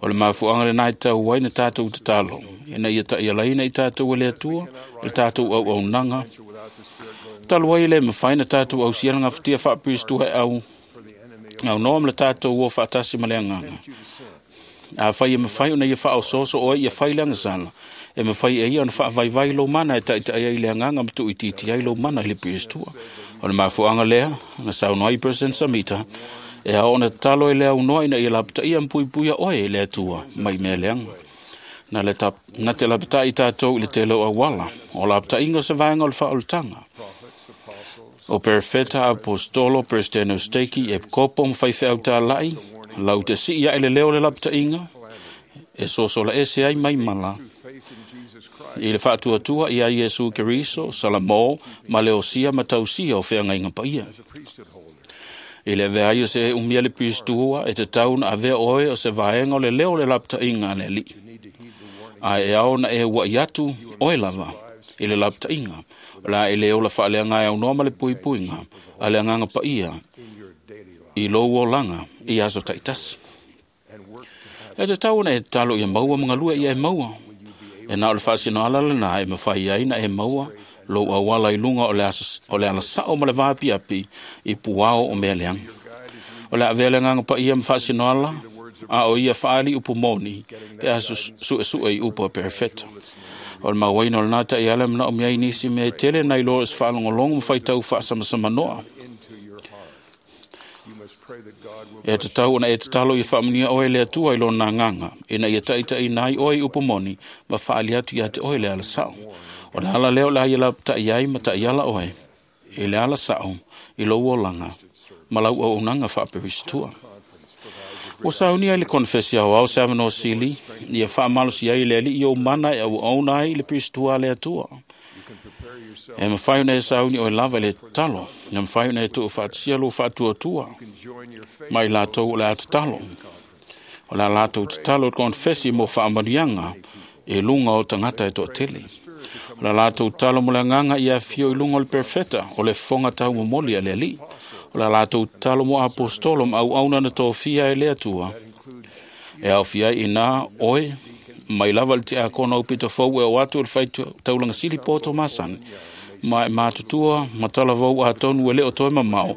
O le mafuaaga lenā e tatau ai na tatou tatalo, ina ia ta'ialaina i tatou e le Atua i le tatou auaunaga. Talu ai e lē mafai na tatou ausia le gafatia faapiristua e au aunoa ma le tatou o faatasi ma le Agaga. Afai e mafai ona ia faaosooso oe ia fai le agasala, e mafai e ia ona faavaivai lou mana e taʻitaʻi ai le Agaga ma tuuitiiti ai lou mana i le piristua. O le mafuaaga lea na saunoa ai President Samita, e ao ona tatalo e le aunoa ina ia lapataia ma puipuia oe e le Atua mai mea leaga. Na te lapata'i tatou i le tele o auala, o lapata'iga o se vaega o le faaolataga. O perefeta, apostolo, presidente o steiki, e kopo ma faifeau tāla'i, lau te sii ae le leo o le lapata'iga, e sosola ese ai mai mala, i le faatuatua ia Iesu Keriso, Salamo, ma le osia ma tausia o feagaiga paia. I le avea ai o se umia le piristua, e tatau na avea oe o se vaega o le leo o le lapata'iga a le Alii. Ae e ao na e ua'i atu oe lava i le lapata'iga, o le a e le ola faaleaga e aunoa ma le puipuiga a le Agaga Paia i lou olaga i aso taitasi. E tatau ona e tatalo ia maua ma galue ia e maua. E na o le faasinoala lenā e mafai ai na e maua lou auala i luga o le alasao ma le vaapiapi i puao o mea leaga. O le a avea le Agaga Paia ma faasinoala, a o ia faaali upu moni pe a suesue i upu a perefeta. O le mauaina o lenā ta'iala e manaomia ai nisi mea e tele nai lo o se faalogologo ma faitau faasamasamanoa. E tatau ona e tatalo ia faamanuia oe le Atua i lona agaga, ina ia taʻitaʻina ai oe i upu moni ma faaali atu ia te oe le alasao. O le ala lea o le a ia lapata'i ai ma ta'iala oe i le alasao i lou olaga ma lau auaunaga faaperistua. Ua saunia i le konefesi aoao se avanoa sili, ia faamalosi ai le Alii ou mana e auauna ai i le Piristua a le Atua. E mafai ona e sauni oe lava i le tatalo, e mafai ona e tuufaatasia lou faatuatua ma i latou o le a tatalo. O le a latou tatalo i le konefesi mo faamanuiaga i luga o tagata e toatele. O le a latou tatalo mo le agaga ia afio i luga o le perofeta o le fofoga taumomoli a le Alii. O le a latou tatalo mo apostolo ma auauna na tofia e le Atua. E aofia ai i ina oe mai lava le tiakono aupito fou e o atu i le faitaulaga sili po o masani, ma e matutua ma talavou atonu e le o toe mamao,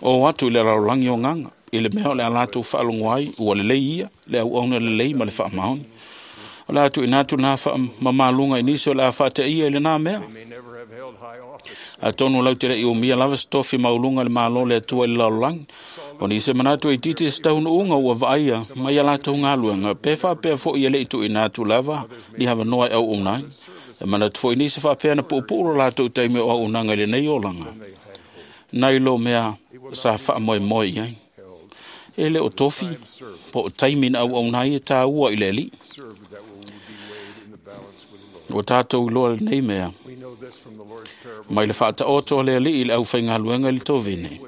o atu i le lalolagi o gaga, i le mea o le a latou faalogo ai ua lelei ia, le auauna lelei ma le faamaoni. O le a tuuina atu lena faamamaluga i nisi o le a faateia i lena mea. Atonu lau te le i umia lava se tofi mauluga i le Malo o le Atua i le lalolagi. O nisi e manatu e itiiti se taunuuga ua vaaia mai a latou galuega, pe faapea foi e le i tuuina atu lava ni avanoa e auauna ai. E manatu foi nisi faapea na puupuu lo latou taimi o auaunaga i lenei olaga, nai lo mea sa faamoemoe i ai. E le o tofi po o taimi na auauna ai e tāua i le Alii. Ua tatou iloa lenei mea mai le faataoto a le Alii i le aufaigaluega i le tovine.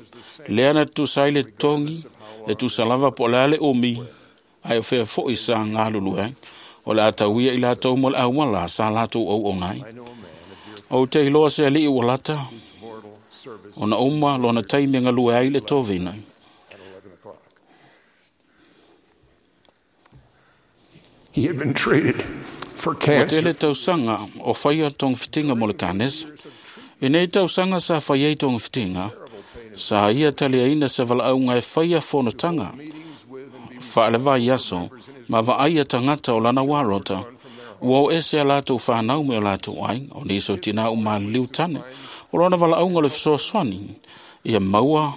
Lea na tutusa ai le totogi, e tusa lava po o le a le umi, ae o fea foi sa galulue ai. O le a tauia i latou mo le auala sa latou auauna ai. Ou te iloa se alii ua lata, ona uma lona taimi e galue ai le tovine. He had been treated for Ua cancer. tele tausaga o faia togafitiga mo le kanesa. I nei tausaga sa fai ai togafitiga, sa ia taliaina se valaauga e faia fonotaga faale aso ma vaaia tagata o lana warota. Ua o ese a latou whanau me o latou aiga, o nisi o tina o maliliu tane. O lona valaauga o le fesoasoani, ia maua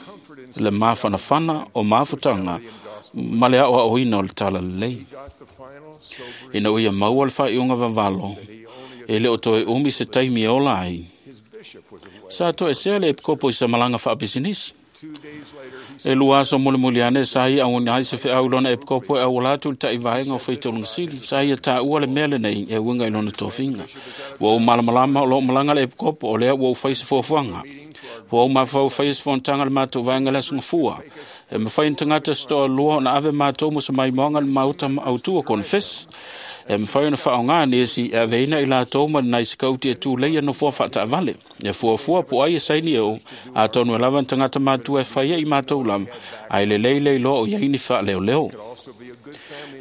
le mafanafana o mafutaga ma le aoaoina o le talalelei. Ina ua ia maua le faaiuga vavalo, e le o toe umi se taimi e ola ai. Sa toesea le epikopo i se malaga faapisinisi. E lua aso mulimuli ane sa ia auina ai se feau i lona epikopo e auala atu i le taivaega o faitauliga sili. Sa ia taua le mea lenei e uiga i lona tofiga. Ua ou malamalama o loo malaga le epikopo o lea ua ou fai se fuafuaga. Ua ou mafaufau faia se fonotaga a le matou vaega le aso Gafua. E mafai ona tagata se toalua ona ave matou mo se maimoaga i le maota autu o konefesi. E mafai ona faaaoga nisi e aveina i latou ma nai sikauti e tuleia nofoa faataavale. E fuafua po o ai e saini e ou, atonu e lava ni tagata matua e faia i matou lava, ae lelei le iloa o i ai ni faaleoleo.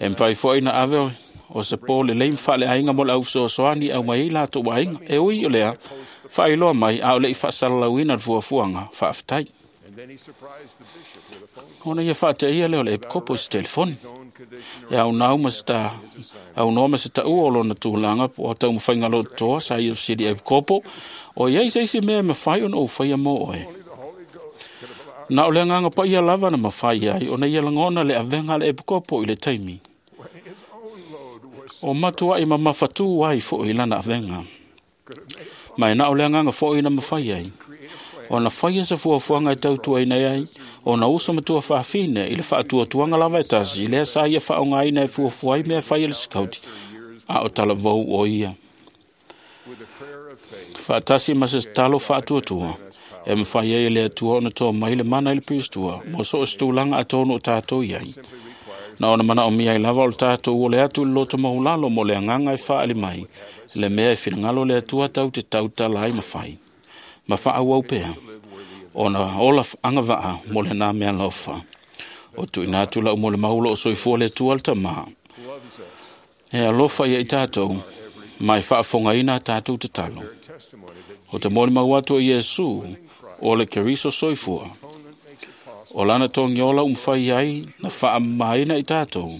E mafai foi na ave o se pō lelei ma faaleaiga mo le au fesoasoani e aumai ai latou aiga. E ui o lea, faailoa mai a o le i faasalalauina le fuafuaga, faafetai. Ona ia faateia lea o le epikopo i se telefoni. E aunau ma se ta, aunoa ma se taua o lona tulaga po o taumafaiga lototoa sa ia fesili epikopo, o i ai se isi mea e mafai ona ou faia mo oe. Na o le agaga paia lava na mafai ai ona ia lagona le avega a le epikopo i le taimi. O matuai mamafatū ai foi i lana avega. Ma e na o le agaga foi na mafai ai. Ona faia se fuafuaga e tautuaina ai, ona uso matua faafine i le faatuatuaga lava e tasi, lea sa ia faaaogaina e fuafua ai mea fai a le sikauti, a o talavou o ia. Faatasi ma se tatalo faatuatua, e mafai ai e le Atua ona toa mai le mana i le Piristua, mo so o se tulaga atonu o tatou i ai. Na ona manaomia ai lava o le tatou ole atu i le loto maulalo mo le agaga e faaali mai, le mea e finagalo le Atua tau te tautala ai ma fai. Ma faaauau pea, ona ola agavaa mo lena mea lofa. O tuuina atu lau mo le maulo o soifua le Atua le Tamā. E alofa ia i tatou, ma e faafofogaina a tatou tatalo. O te molimau atu o Iesu, o le Keriso soifua. O lana togiola ua mafai ai na faamamaina i tatou,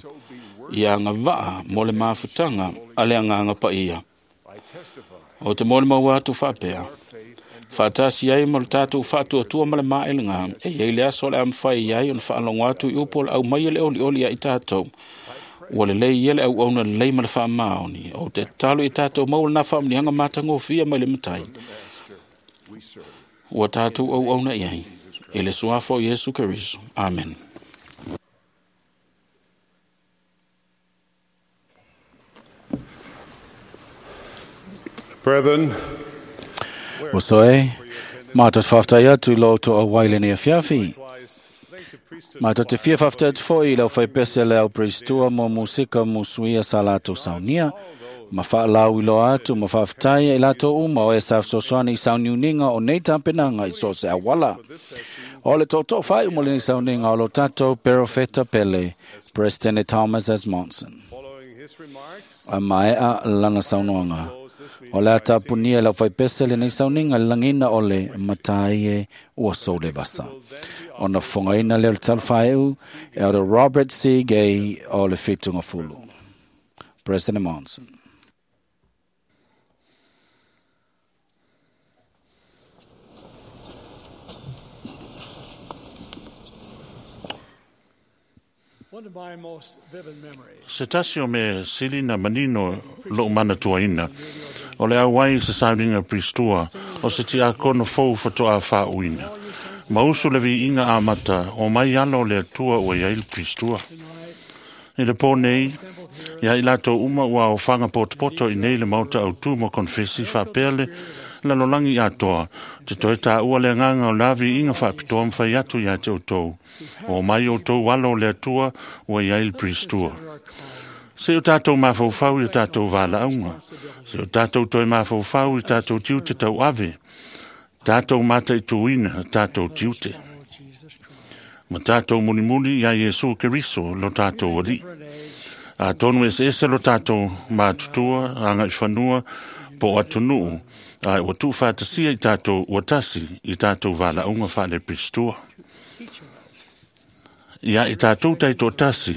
ia agavaa mo le mafutaga a le agaga paia. O te molimau atu faapea, faatasi ai ma le tatou faatuatua ma le maelega, e iai le aso o le a mafai ai ona faalogo atu i upu o le aumai e le olioli ia i tatou. Ua lelei ia le auauna lelei ma le faamaoni. O te tatalo i tatou maua lena faamanuiaga matagofie mai le Matai. Ua tatou auauna i ai. I le suafa o Iesu Keriso. Amen. Brethren, Uso e, mātou te whaftai atu i lo tō auai le nei afiafi. Mātou te fia whaftai atu foi i lau whaipese le au pristua mo musika musuia sa lātou saunia. Ma whaalau i loa atu, ma whaftai i lātou uma o e sa sosoani i sauniuninga o nei tāpenanga i so se awala. O le tōtō whai umo le nei sauniga o lo tātou Perofeta Pele, President Thomas S. Monson. A maea lana saunoanga. O le ata punia lau whaipese le nei sauninga langina o le matai e ua sole vasa. O na whangaina leo le talwhaeu e o Robert C. Gay o le whitunga fulu. President Monson. Se tasi o me sili na manino lo mana tuaina. O le auai se sauninga pristua o se ti akono fou whatoa wha uina. Ma usu le vi inga amata o mai alo le atua o ia il pristua. I le pō nei, ia i lato uma ua o whanga potopoto i nei le mauta au tū mo konfesi whapele la lolangi atoa. Te toi tā ua le nganga o lavi inga whapitoa mwhai atu ia te o tau. O mai o tau alo le atua o ia il pristua. Se o tātou mawhauwhau i o tātou wālaunga. Se o tātou toi mawhauwhau i tātou tiute tau ave. Tātou mata i tuina, tātou tiute. Ma tātou munimuni ia Iesu Keriso lo tātou ali. A tonu ese ese lo tātou mātutua, anga i whanua, po atunuu, a ua tu whātasia i tātou uatasi i tātou wālaunga whaale pristua. Ia i tātou taito tasi,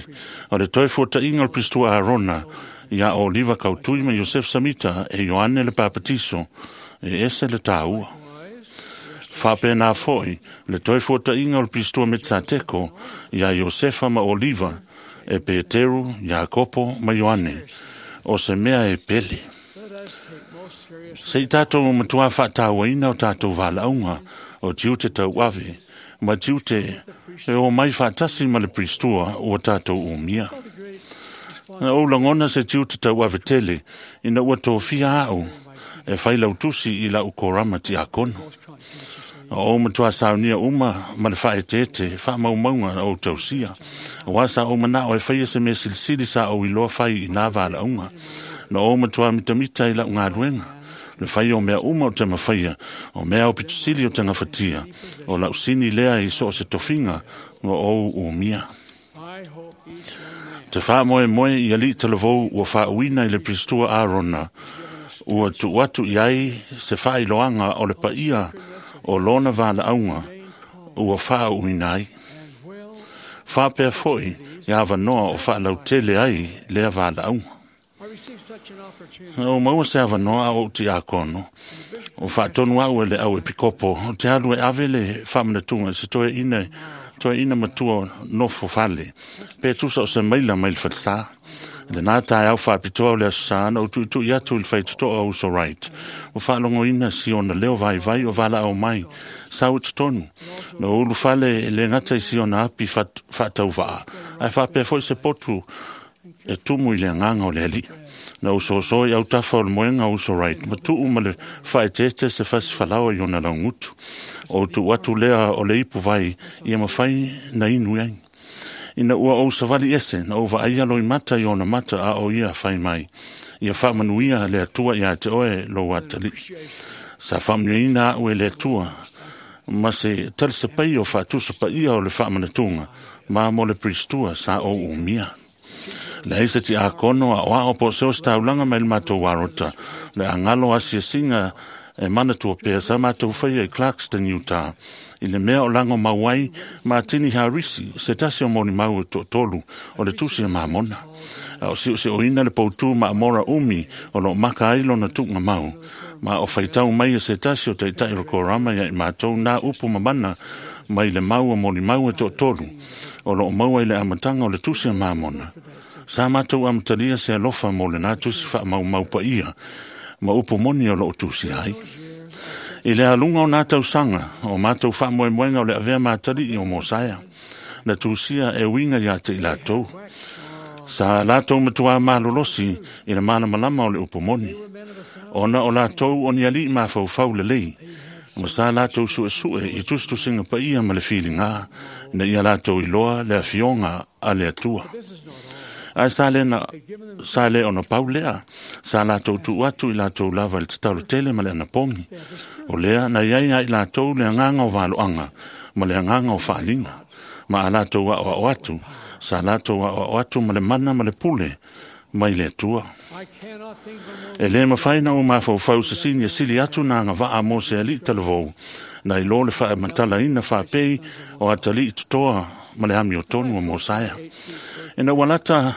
o le toi fuata inga o pristua Arona, ia o Liva Kautui ma Yosef Samita e Ioane le Papatiso, e ese le tāua. Whapena foi, le toi fuata inga o pristua Metsateko, ia Iosefa ma Oliva, e Peteru, Iakopo ma Ioane, o se mea e pele. Se i tātou matua whātāwaina o tātou wālaunga, o tiute tau ave, ma tiute e o mai whātasi ma le pristua o tātou umia. Na o langona se tiute tau ave tele, ina ua tōwhia au, e whai lautusi i lau korama ti akono. O matua saunia uma ma le whaetete, wha maumaunga o tausia. O asa o mana o e whaia se me silisili sa o iloa whai i nā wālaunga. Na o matua mitamita i lau ngāruenga. Le whai o mea uma o te mawhaia, o mea o pitusili o te ngawhatia, o lau sini lea i so o se tofinga, o o umia. Te wha moe moe i ali te lavou ua wha uina i le pristua Arona, ua tu atu i ai se wha iloanga o le paia o lona wāla aunga, ua wha uina ai. Wha pea foi i awa noa o wha lautele ai lea wāla aunga. O maua se awa noa o ti akono. O whaatonu au e le au e pikopo. O te alu e ave le whamanatunga se toe ina matua nofo fale. Pe tusa o se maila mai le whatsā. Le nā tae au whaapitoa o le asana o tuitui atu i le whaitotoa o uso right. O whaalongo ina si ona leo vai vai o wala au mai. Sau tonu. No ulu fale le ngata i si ona api whaatau waa. Ai whaapea foi se potu e tumu i le nganga o le ali. Na uso so i au tafa o le moenga uso right. Ma tuu ma le whaetete se fasi falawa i ona laungutu. O tu atu lea o le ipu vai ia mawhai na inu ai. Ina ua o savali ese na ova aia loi mata i ona mata a o ia whai mai. Ia whaamanuia le atua ia te oe lo atali. Sa whaamanuina au e le atua. Ma se talisa pai o whaatusa pa ia o le whaamanatunga. Ma mo le pristua sa o umia. Le aisa ti akono a oa po seo staulanga mai le matou warota. Le angalo asiasinga e mana tua pea sa matou whaia i Clarkston, Utah. I le mea o lango mauai, Martini Harisi, se tasi o moni mau e tolu, o le tusi e mamona. A o sio se o ina le poutu ma amora umi, o lo maka ai lona tukunga mau. Ma o whaitau mai e se tasi o teitai o korama ia i mātou nā upu mamana, mai le mau o moni mau e tolu, o lo maua i le amatanga o le tusi e mamona. Sa mātou amatalia se alofa mo le nā tusi wha mau mau pa ia, ma upu moni o lo tusi ai. I le alunga o nā tausanga, o mātou wha moe moenga o le avea mātali i o Mosaia, na tusia e winga ia te i lātou. Sa latou matuā malolosi i le malamalama o le upu moni, ona o latou o ni aliʻi mafaufau lelei, ma sa latou suʻesuʻe i tusitusiga paia ma le filiga, ina ia latou iloa le afioga a le Atua. Ae sa le na sa le ona pau lea, sa latou tuu atu i latou lava i le tatalo tele ma le anapogi. O lea na iai ai latou le agaga o valoaga ma le agaga o faaliga, ma a latou aʻoaʻo atu, sa latou aʻoaʻo atu ma le mana ma le pule mai le Atua. E lē mafai na ou mafaufau sisini e sili atu na agavaa mo se aliʻi talavou, na i lo le faamatalaina faapei o atalii totoa ma le amiotonu o Mosaea. Ina ua lata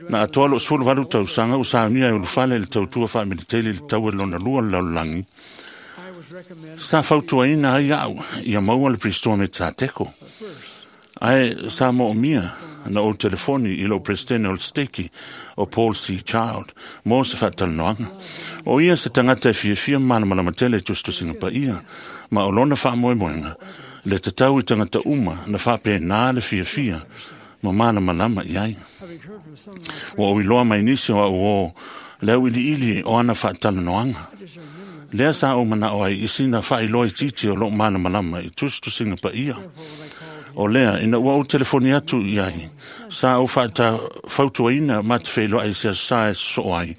na atoa loo 18 tausaga ua saunia e ulufale i le tautua faamiliteli i le taua lona lua o le lalolagi, sa fautuaina ai aʻu ia maua le Pirisitoa Metasateko. Ae sa moomia na ou telefoni i lou Peresetene o le Steki o Paul C. Child mo se faatalanoaga. O ia se tagata e fiafia ma malamalama tele i tusitusiga paia, ma o lona faamoemoega le tatau i tagata uma na faapena le fiafia ma malamalama i ai. Ua ou iloa mai nisi o au o le auiliili o ana faatalanoaga. Lea sa ou manao ai i sina faailoa itiiti o loo malamalama i tusitusiga paia. O lea, ina ua ou telefoni atu i ai, sa ou fautuaina ma te feiloai i se aso sa e sosoo ai,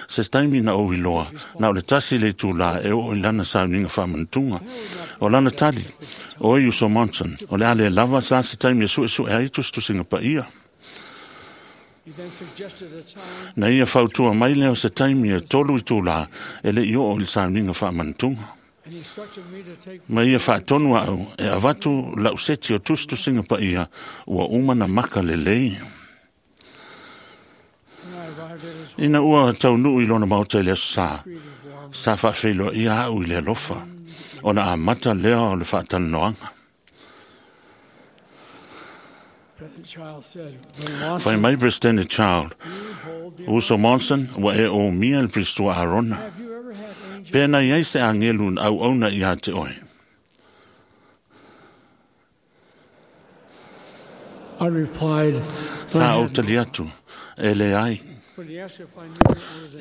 se taimi na ou iloa, na o le 1 le itulā e oo i lana sauniga faamanatuga. O lana tali, oi uso Monson, o le a le lava sa se taimi e suʻesuʻe ai tusitusiga paia. Na ia fautua mai lea o se taimi e 3 itulā e le i oo i le sauniga faamanatuga. Ma ia faatonu aʻu e avatu lau seti o tusitusiga paia ua uma na maka lelei. Ina ua taunuu i lona maota i le aso sa, sa faafeiloaia aʻu i le alofa, ona amata lea o le faatalanoaga. Fai mai Presidente Child, uso Monson, ua e umia le Pirisitoa Arona. Pe na iai se agelu na auauna iā te oe. I replied, Sa ou tali atu, e leai.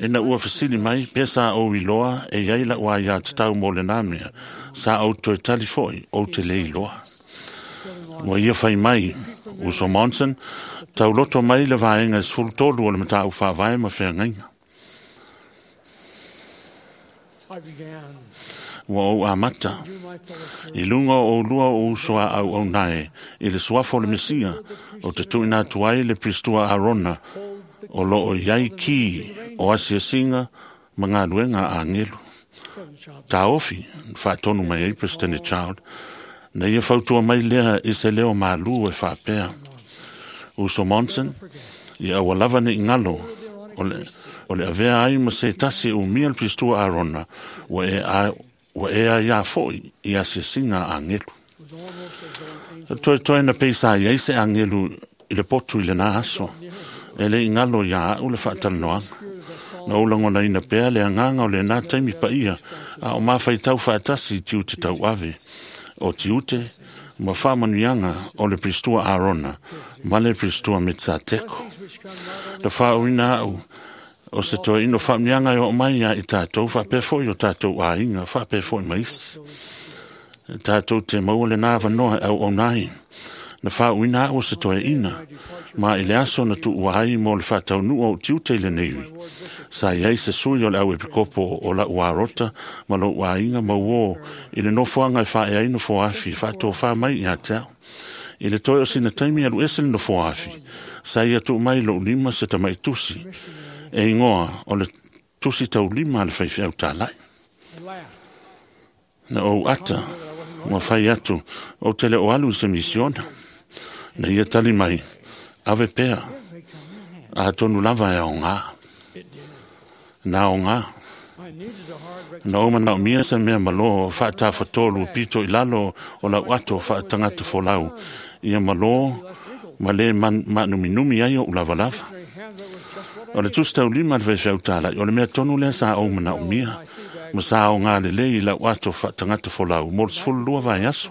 Ina ua fesili mai, pe sa ou iloa e iai lau aiā tatau mo lenā mea, sa ou toe tali foʻi, ou te lē iloa. Ua ia fai mai, uso Monson, tauloto mai le vaega e 13 o le mataupu faavae ma feagaiga. Ua ou amata i luga o oulua o uso a auaunae i le suafa o le Mesia o te tuuina atu ai le Pirisitoa Arona o loo i ai ki o asiasiga ma galuega a agelu. Taofi faatonu mai ai Presidente Child, na ia fautua mai lea i se leo malū e faapea. Uso Monson, ia aua lava nei galo o le avea ai ma se tasi e umia le Pirisitoa Arona, ua e aiā foʻi i asiasiga a agelu. Toetoe na peisa ai ai se agelu i le potu i lenā aso, e le i galo iā aʻu le faatalanoaga. Na ou lagonaina pea le agaga o lenā taimi paia, a o mafaitau faatasi i tiute tauave, o tiute ma faamanuiaga o le Pirisitoa Arona ma le Pirisitoa Metasateko. Na faaʻuina aʻu o se toeaina o faamanuiaga e oo mai iā i tatou, faapea foʻi o tatou aiga, faapea foʻi ma isi. Tatou te maua lenā avanoa e auauna ai. Na faaʻuina aʻu o se toeaina, ma i le aso na tuua ai mo le faataunuu o tiute i lenei ui. Sa iai se sui o le au epikopo o lau arota ma lou aiga mauō i le nofoaga e faaea ai nofoafi faatofā mai iā te au. I le toe o sina taimi alu ese le nofoafi, sa ia tuu mai lou lima se tamaʻi tusi, e igoa o le tusi taulima a le faifeau tālaʻi. Na ou ata, ua fai atu, ou te le o alu i se misiona. Na ia tali mai, ave pea, atonu lava e aogā. Na aogā. Na ou manaomia se mea malō faatafatolu pito i lalo o lau ato faatagata folau, ia malō ma lē maanuminumi ai oʻu lavalava. O le tusi taulima a le faifeau tālaʻi, o le mea tonu lea sa ou manaomia, ma sa aogā lelei i lau ato faatagata folau mo le 12 vaiaso.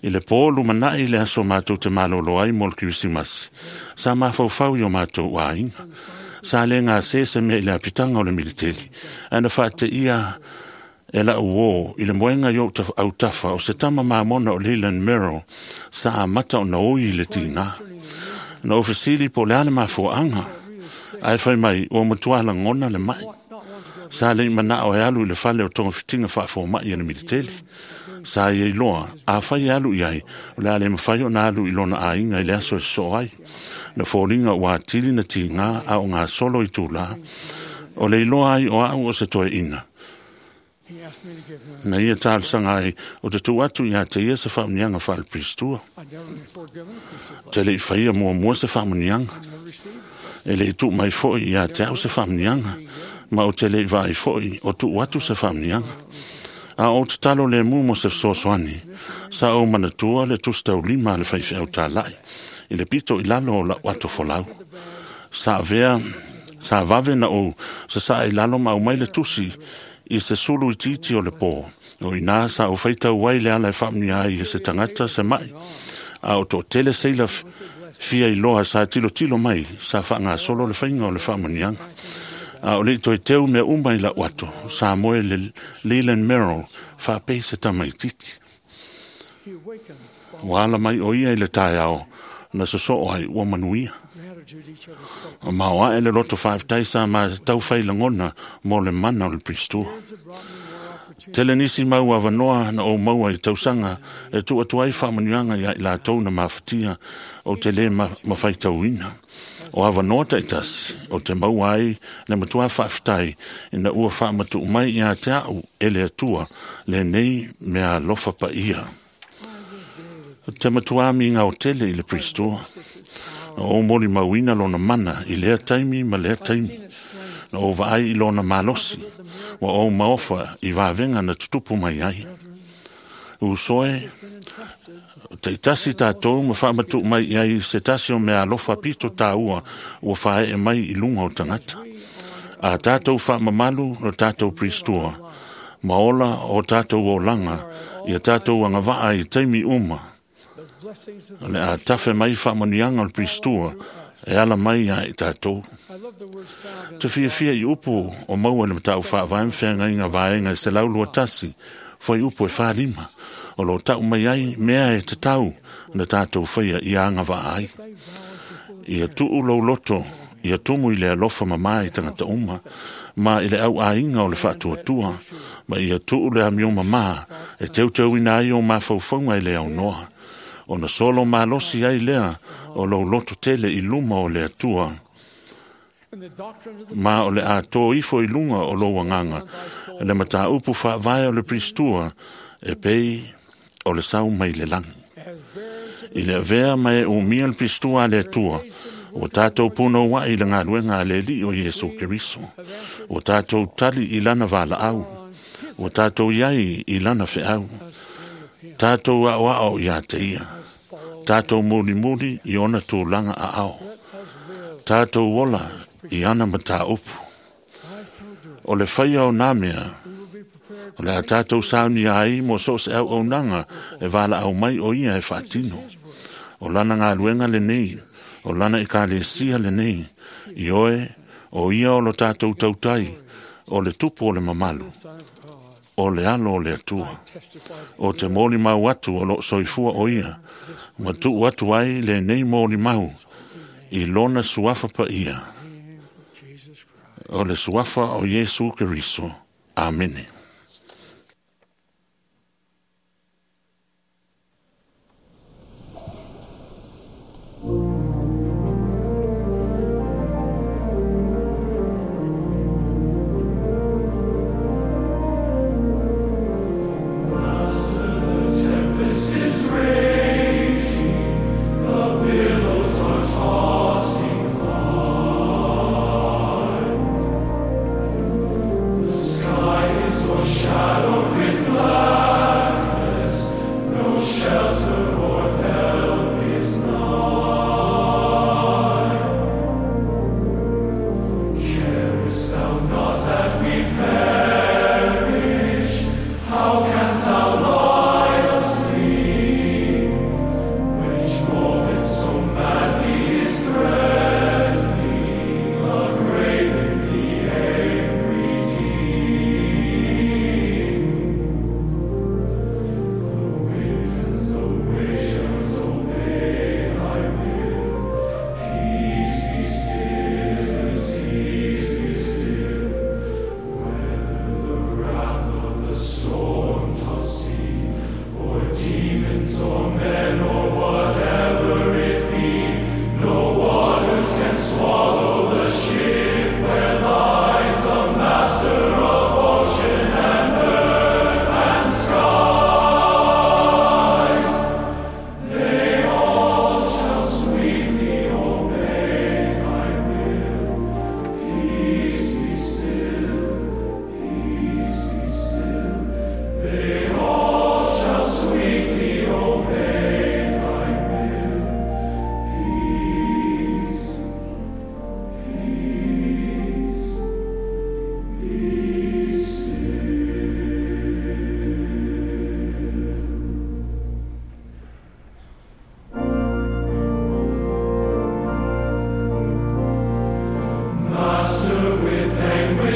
I le pō lumanaʻi le aso matou te malōlō ai mo le Kerisimasi, sa mafaufau i o matou aiga. Sa le gasē se mea i le apitaga o le militeli, ae na faateia e la'u ō i le moega i o'u autafa o se tama mamona o Leland Merrill sa amata ona oi i le tigā. Na ou fesili po o le a le mafuaaga, ae fai mai ua matuā lagona le ma'i. Sa le'i mana'o e alu i le fale o togafitiga faafoma'i a le militeli. Sa ia iloa, afai e alu i ai, o le a le mafai ona alu i lona aiga i le aso e sosoo ai. Na foliga ua atili na tigā a o gasolo i tulā. O le iloa ai o a'u o se toeaina. Na ia talosaga ai o te tuu atu iā te ia se faamuniaga faalepiristua. Te le'i faia muamua se faamuniaga. E le'i tuu mai fo'i iā te a'u se faamuniaga, ma ou te le'i vaai fo'i o tuu atu se faamuniaga. A o tatalo lemu mo se fesoasoani, sa ou manatua le tusi taulima a le faifeau tāla'i i le pito i lalo o la'u ato folau. Sa avea, sa vave na ou sasa'a i lalo ma aumai le tusi i se sulu itiiti o le pō. O inā sa ou faitau ai le ala e faamunia ai e se tagata se ma'i. A o to'atele seila fia iloa sa tilotilo mai sa faagasolo le faiga o le faamuniaga. A o le'i toe teu mea uma i la'u ato, sa moe le Leland Merrill faapei se tamaititi. Ua ala mai o ia i le taeao na sosoo ai ua manuia. Ma o ae le loto faafetai sa matau fai lagona mo le mana o le Piristua. Tele nisi mau avanoa na ou maua i tausaga e tuu atu ai faamanuiaga iā i latou na mafatia o te lē mafaitauina. O avanoa taʻitasi o te maua ai le matuā faafetai ina ua faamatuʻu mai iā te a'u e le Atua lenei mea alofa paia. Te matuā migao tele i le Piristua. Na ou molimauina lona mana i lea taimi ma lea taimi. Na ou vaai i lona malosi, ua ou maofa i vavega na tutupu mai ai. Usoe, taʻitasi tatou ma faamatuʻu mai i ai se tasi o mea alofa pito tāua ua faaeʻe mai i luga o tagata. A tatou faamamalu lo tatou Piristua, ma ola o tatou olaga ia tatou agavaa i taimi uma. O le a tafe mai faamanuiaga o le Piristua e ala mai iā i tatou. Te fiafia i upu o maua i le mataupu faavae ma feagaiga vaega e 121 foi upu e 45 o lo ta'u mai ai mea e tatau na tatou faia ia agavaa ai. Ia tuu lou loto ia tumu i le alofa mamā i tagata uma ma i le auaiga o le faatuatua ma ia tuu le amio mamā e teuteuina ai o mafaufauga i le aunoa. Ona solo malosi ai lea o lou loto tele i luma o le Atua. Ma o le a tō ifo i luga o lou agaga le mataupu faavae o le Piristua e pei o le sau mai le lagi. I le avea ma e umia le Piristua a le Atua, ua tatou punouaʻi i le galuega a le Alii o Iesu Keriso. Ua tatou tali i lana valaau. Ua tatou iai i lana feau. Tatou aʻoaʻo iā te ia. Tatou mulimuli i ona tulaga aao. Tatou ola i ana mataupu. O le faia o nā mea, o le a tatou saunia ai mo so o se auaunaga e valaau mai o ia e faatino. O lana galuega lenei, o lana ekalesia lenei, i oe, o ia o lo tatou tautai, o le tupu o le mamalu, o le alo o le Atua. O te molimau atu o loo soifua o ia, ma tuu atu ai lenei molimau i lona suafa paia. O le suafa o Iesu Keriso. Amene. The sky is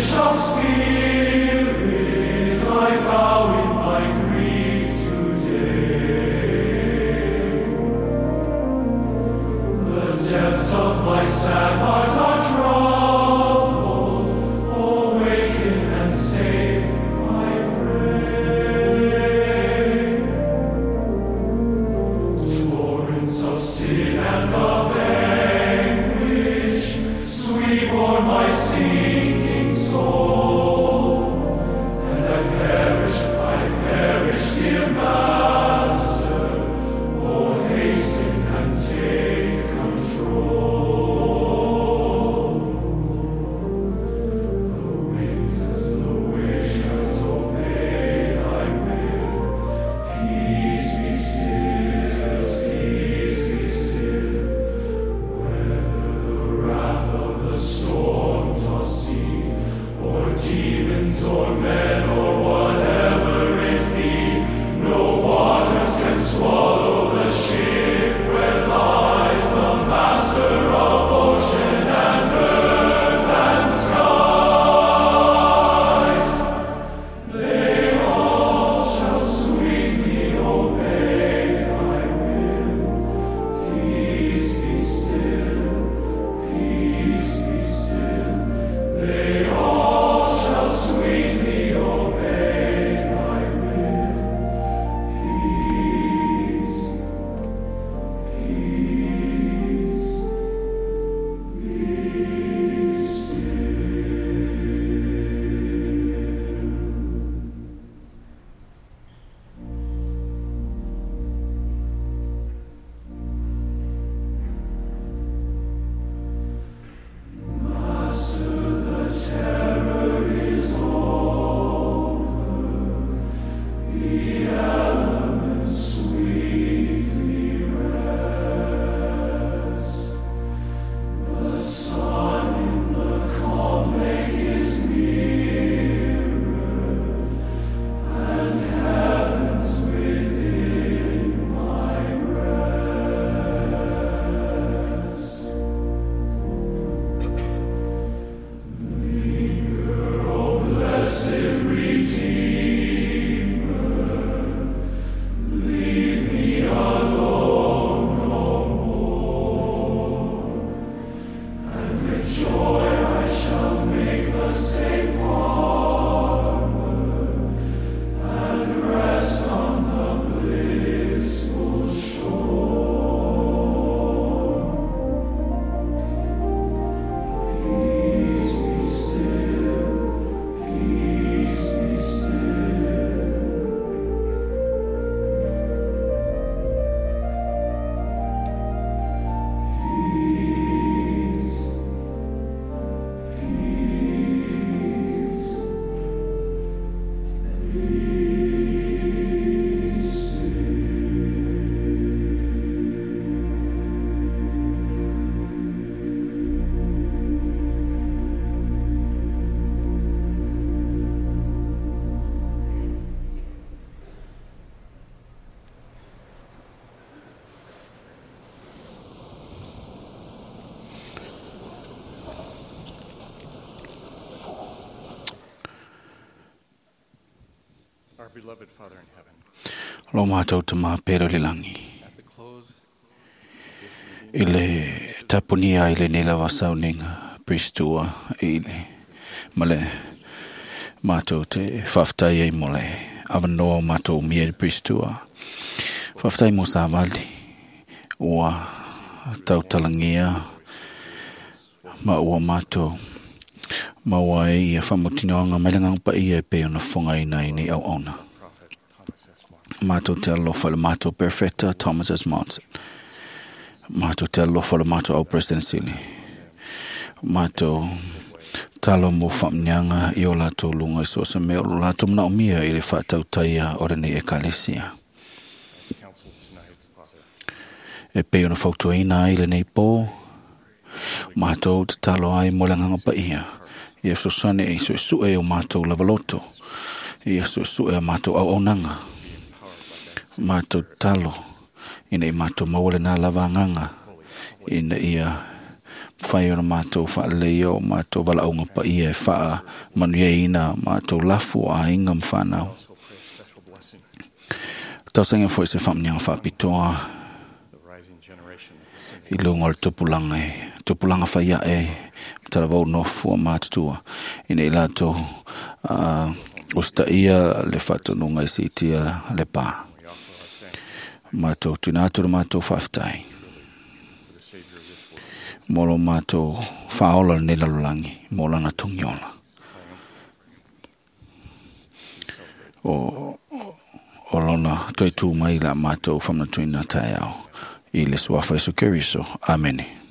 Anguish of spirit, I bow in my grief today. The depths of my sad heart are troubled. Awaken and save, I pray. Torrents of sin and of anguish sweep o'er my sinking soul, and I perish, dear Master. Oh, hasten and take control. The winds as the wishers obey thy will. Peace be still, peace be still. Whether the wrath of the storm-tossed sea, or demons, or men, or whatever it be, no waters can swallow the ship where lies the master of ocean and earth and skies. They all shall sweetly obey thy will. Peace be still, peace be still. They all shall sweetly obey thy will. Peace, peace, be still. Master, the terror is over. The elements sweetly rest. The sun in the calm lake is nearer, and heaven's within my breast. Linger, O blessed Redeemer, leave me alone no more, and with joy I shall make the safe harbor, and rest on the blissful shore. Peace be still, peace be still. Peace, peace, be still. Our beloved Father in heaven, Lo mātou te māpero le langi. I le tapunia i le nela wasaunenga pristua i le ma le mātou te whaftai ei mo le awanoa o mātou mia le pristua. Whaftai mo sāwali ua tautalangia ma ua mātou ma ua e ia whamutinoanga mai langa pa ia e pe ona whonga ina i nei au ona. Mātou te alofa le mātou perfecta Thomas S. Monson. Mātou te alofa le mātou au President Sili. Mātou talo mo whamnianga i o lātou lunga i so se mea o lātou mana o mia i le whātautaia o rene e kalesia. counsel tonight, Father, E pe ona whautuaina ai le nei pō, mātou te talo ai mo le nganga pa ia. Ia sosane e sue e o mātou lavaloto. Ia sue a mātou au aunanga. Mātou talo ina i mātou mawale nā lava nganga. Ina ia Mafai ona matou faaleleia o matou valaauga paia e faamanuiaina matou lafu o aiga ma fanau. Tausaga foi se faamuniaga faapitoa i luga o le tupulaga e tupulaga faiae talavou nofo a matutua ina i latou usitaia le faatonuga e siitia le pā. Matou tuuina atu le matou faafetai mo lo matou faaola lenei lalolagi mo lana togiola. O lona toe tu mai la matou faamanatuina taeao i le suafa Iesu Keriso. Amene.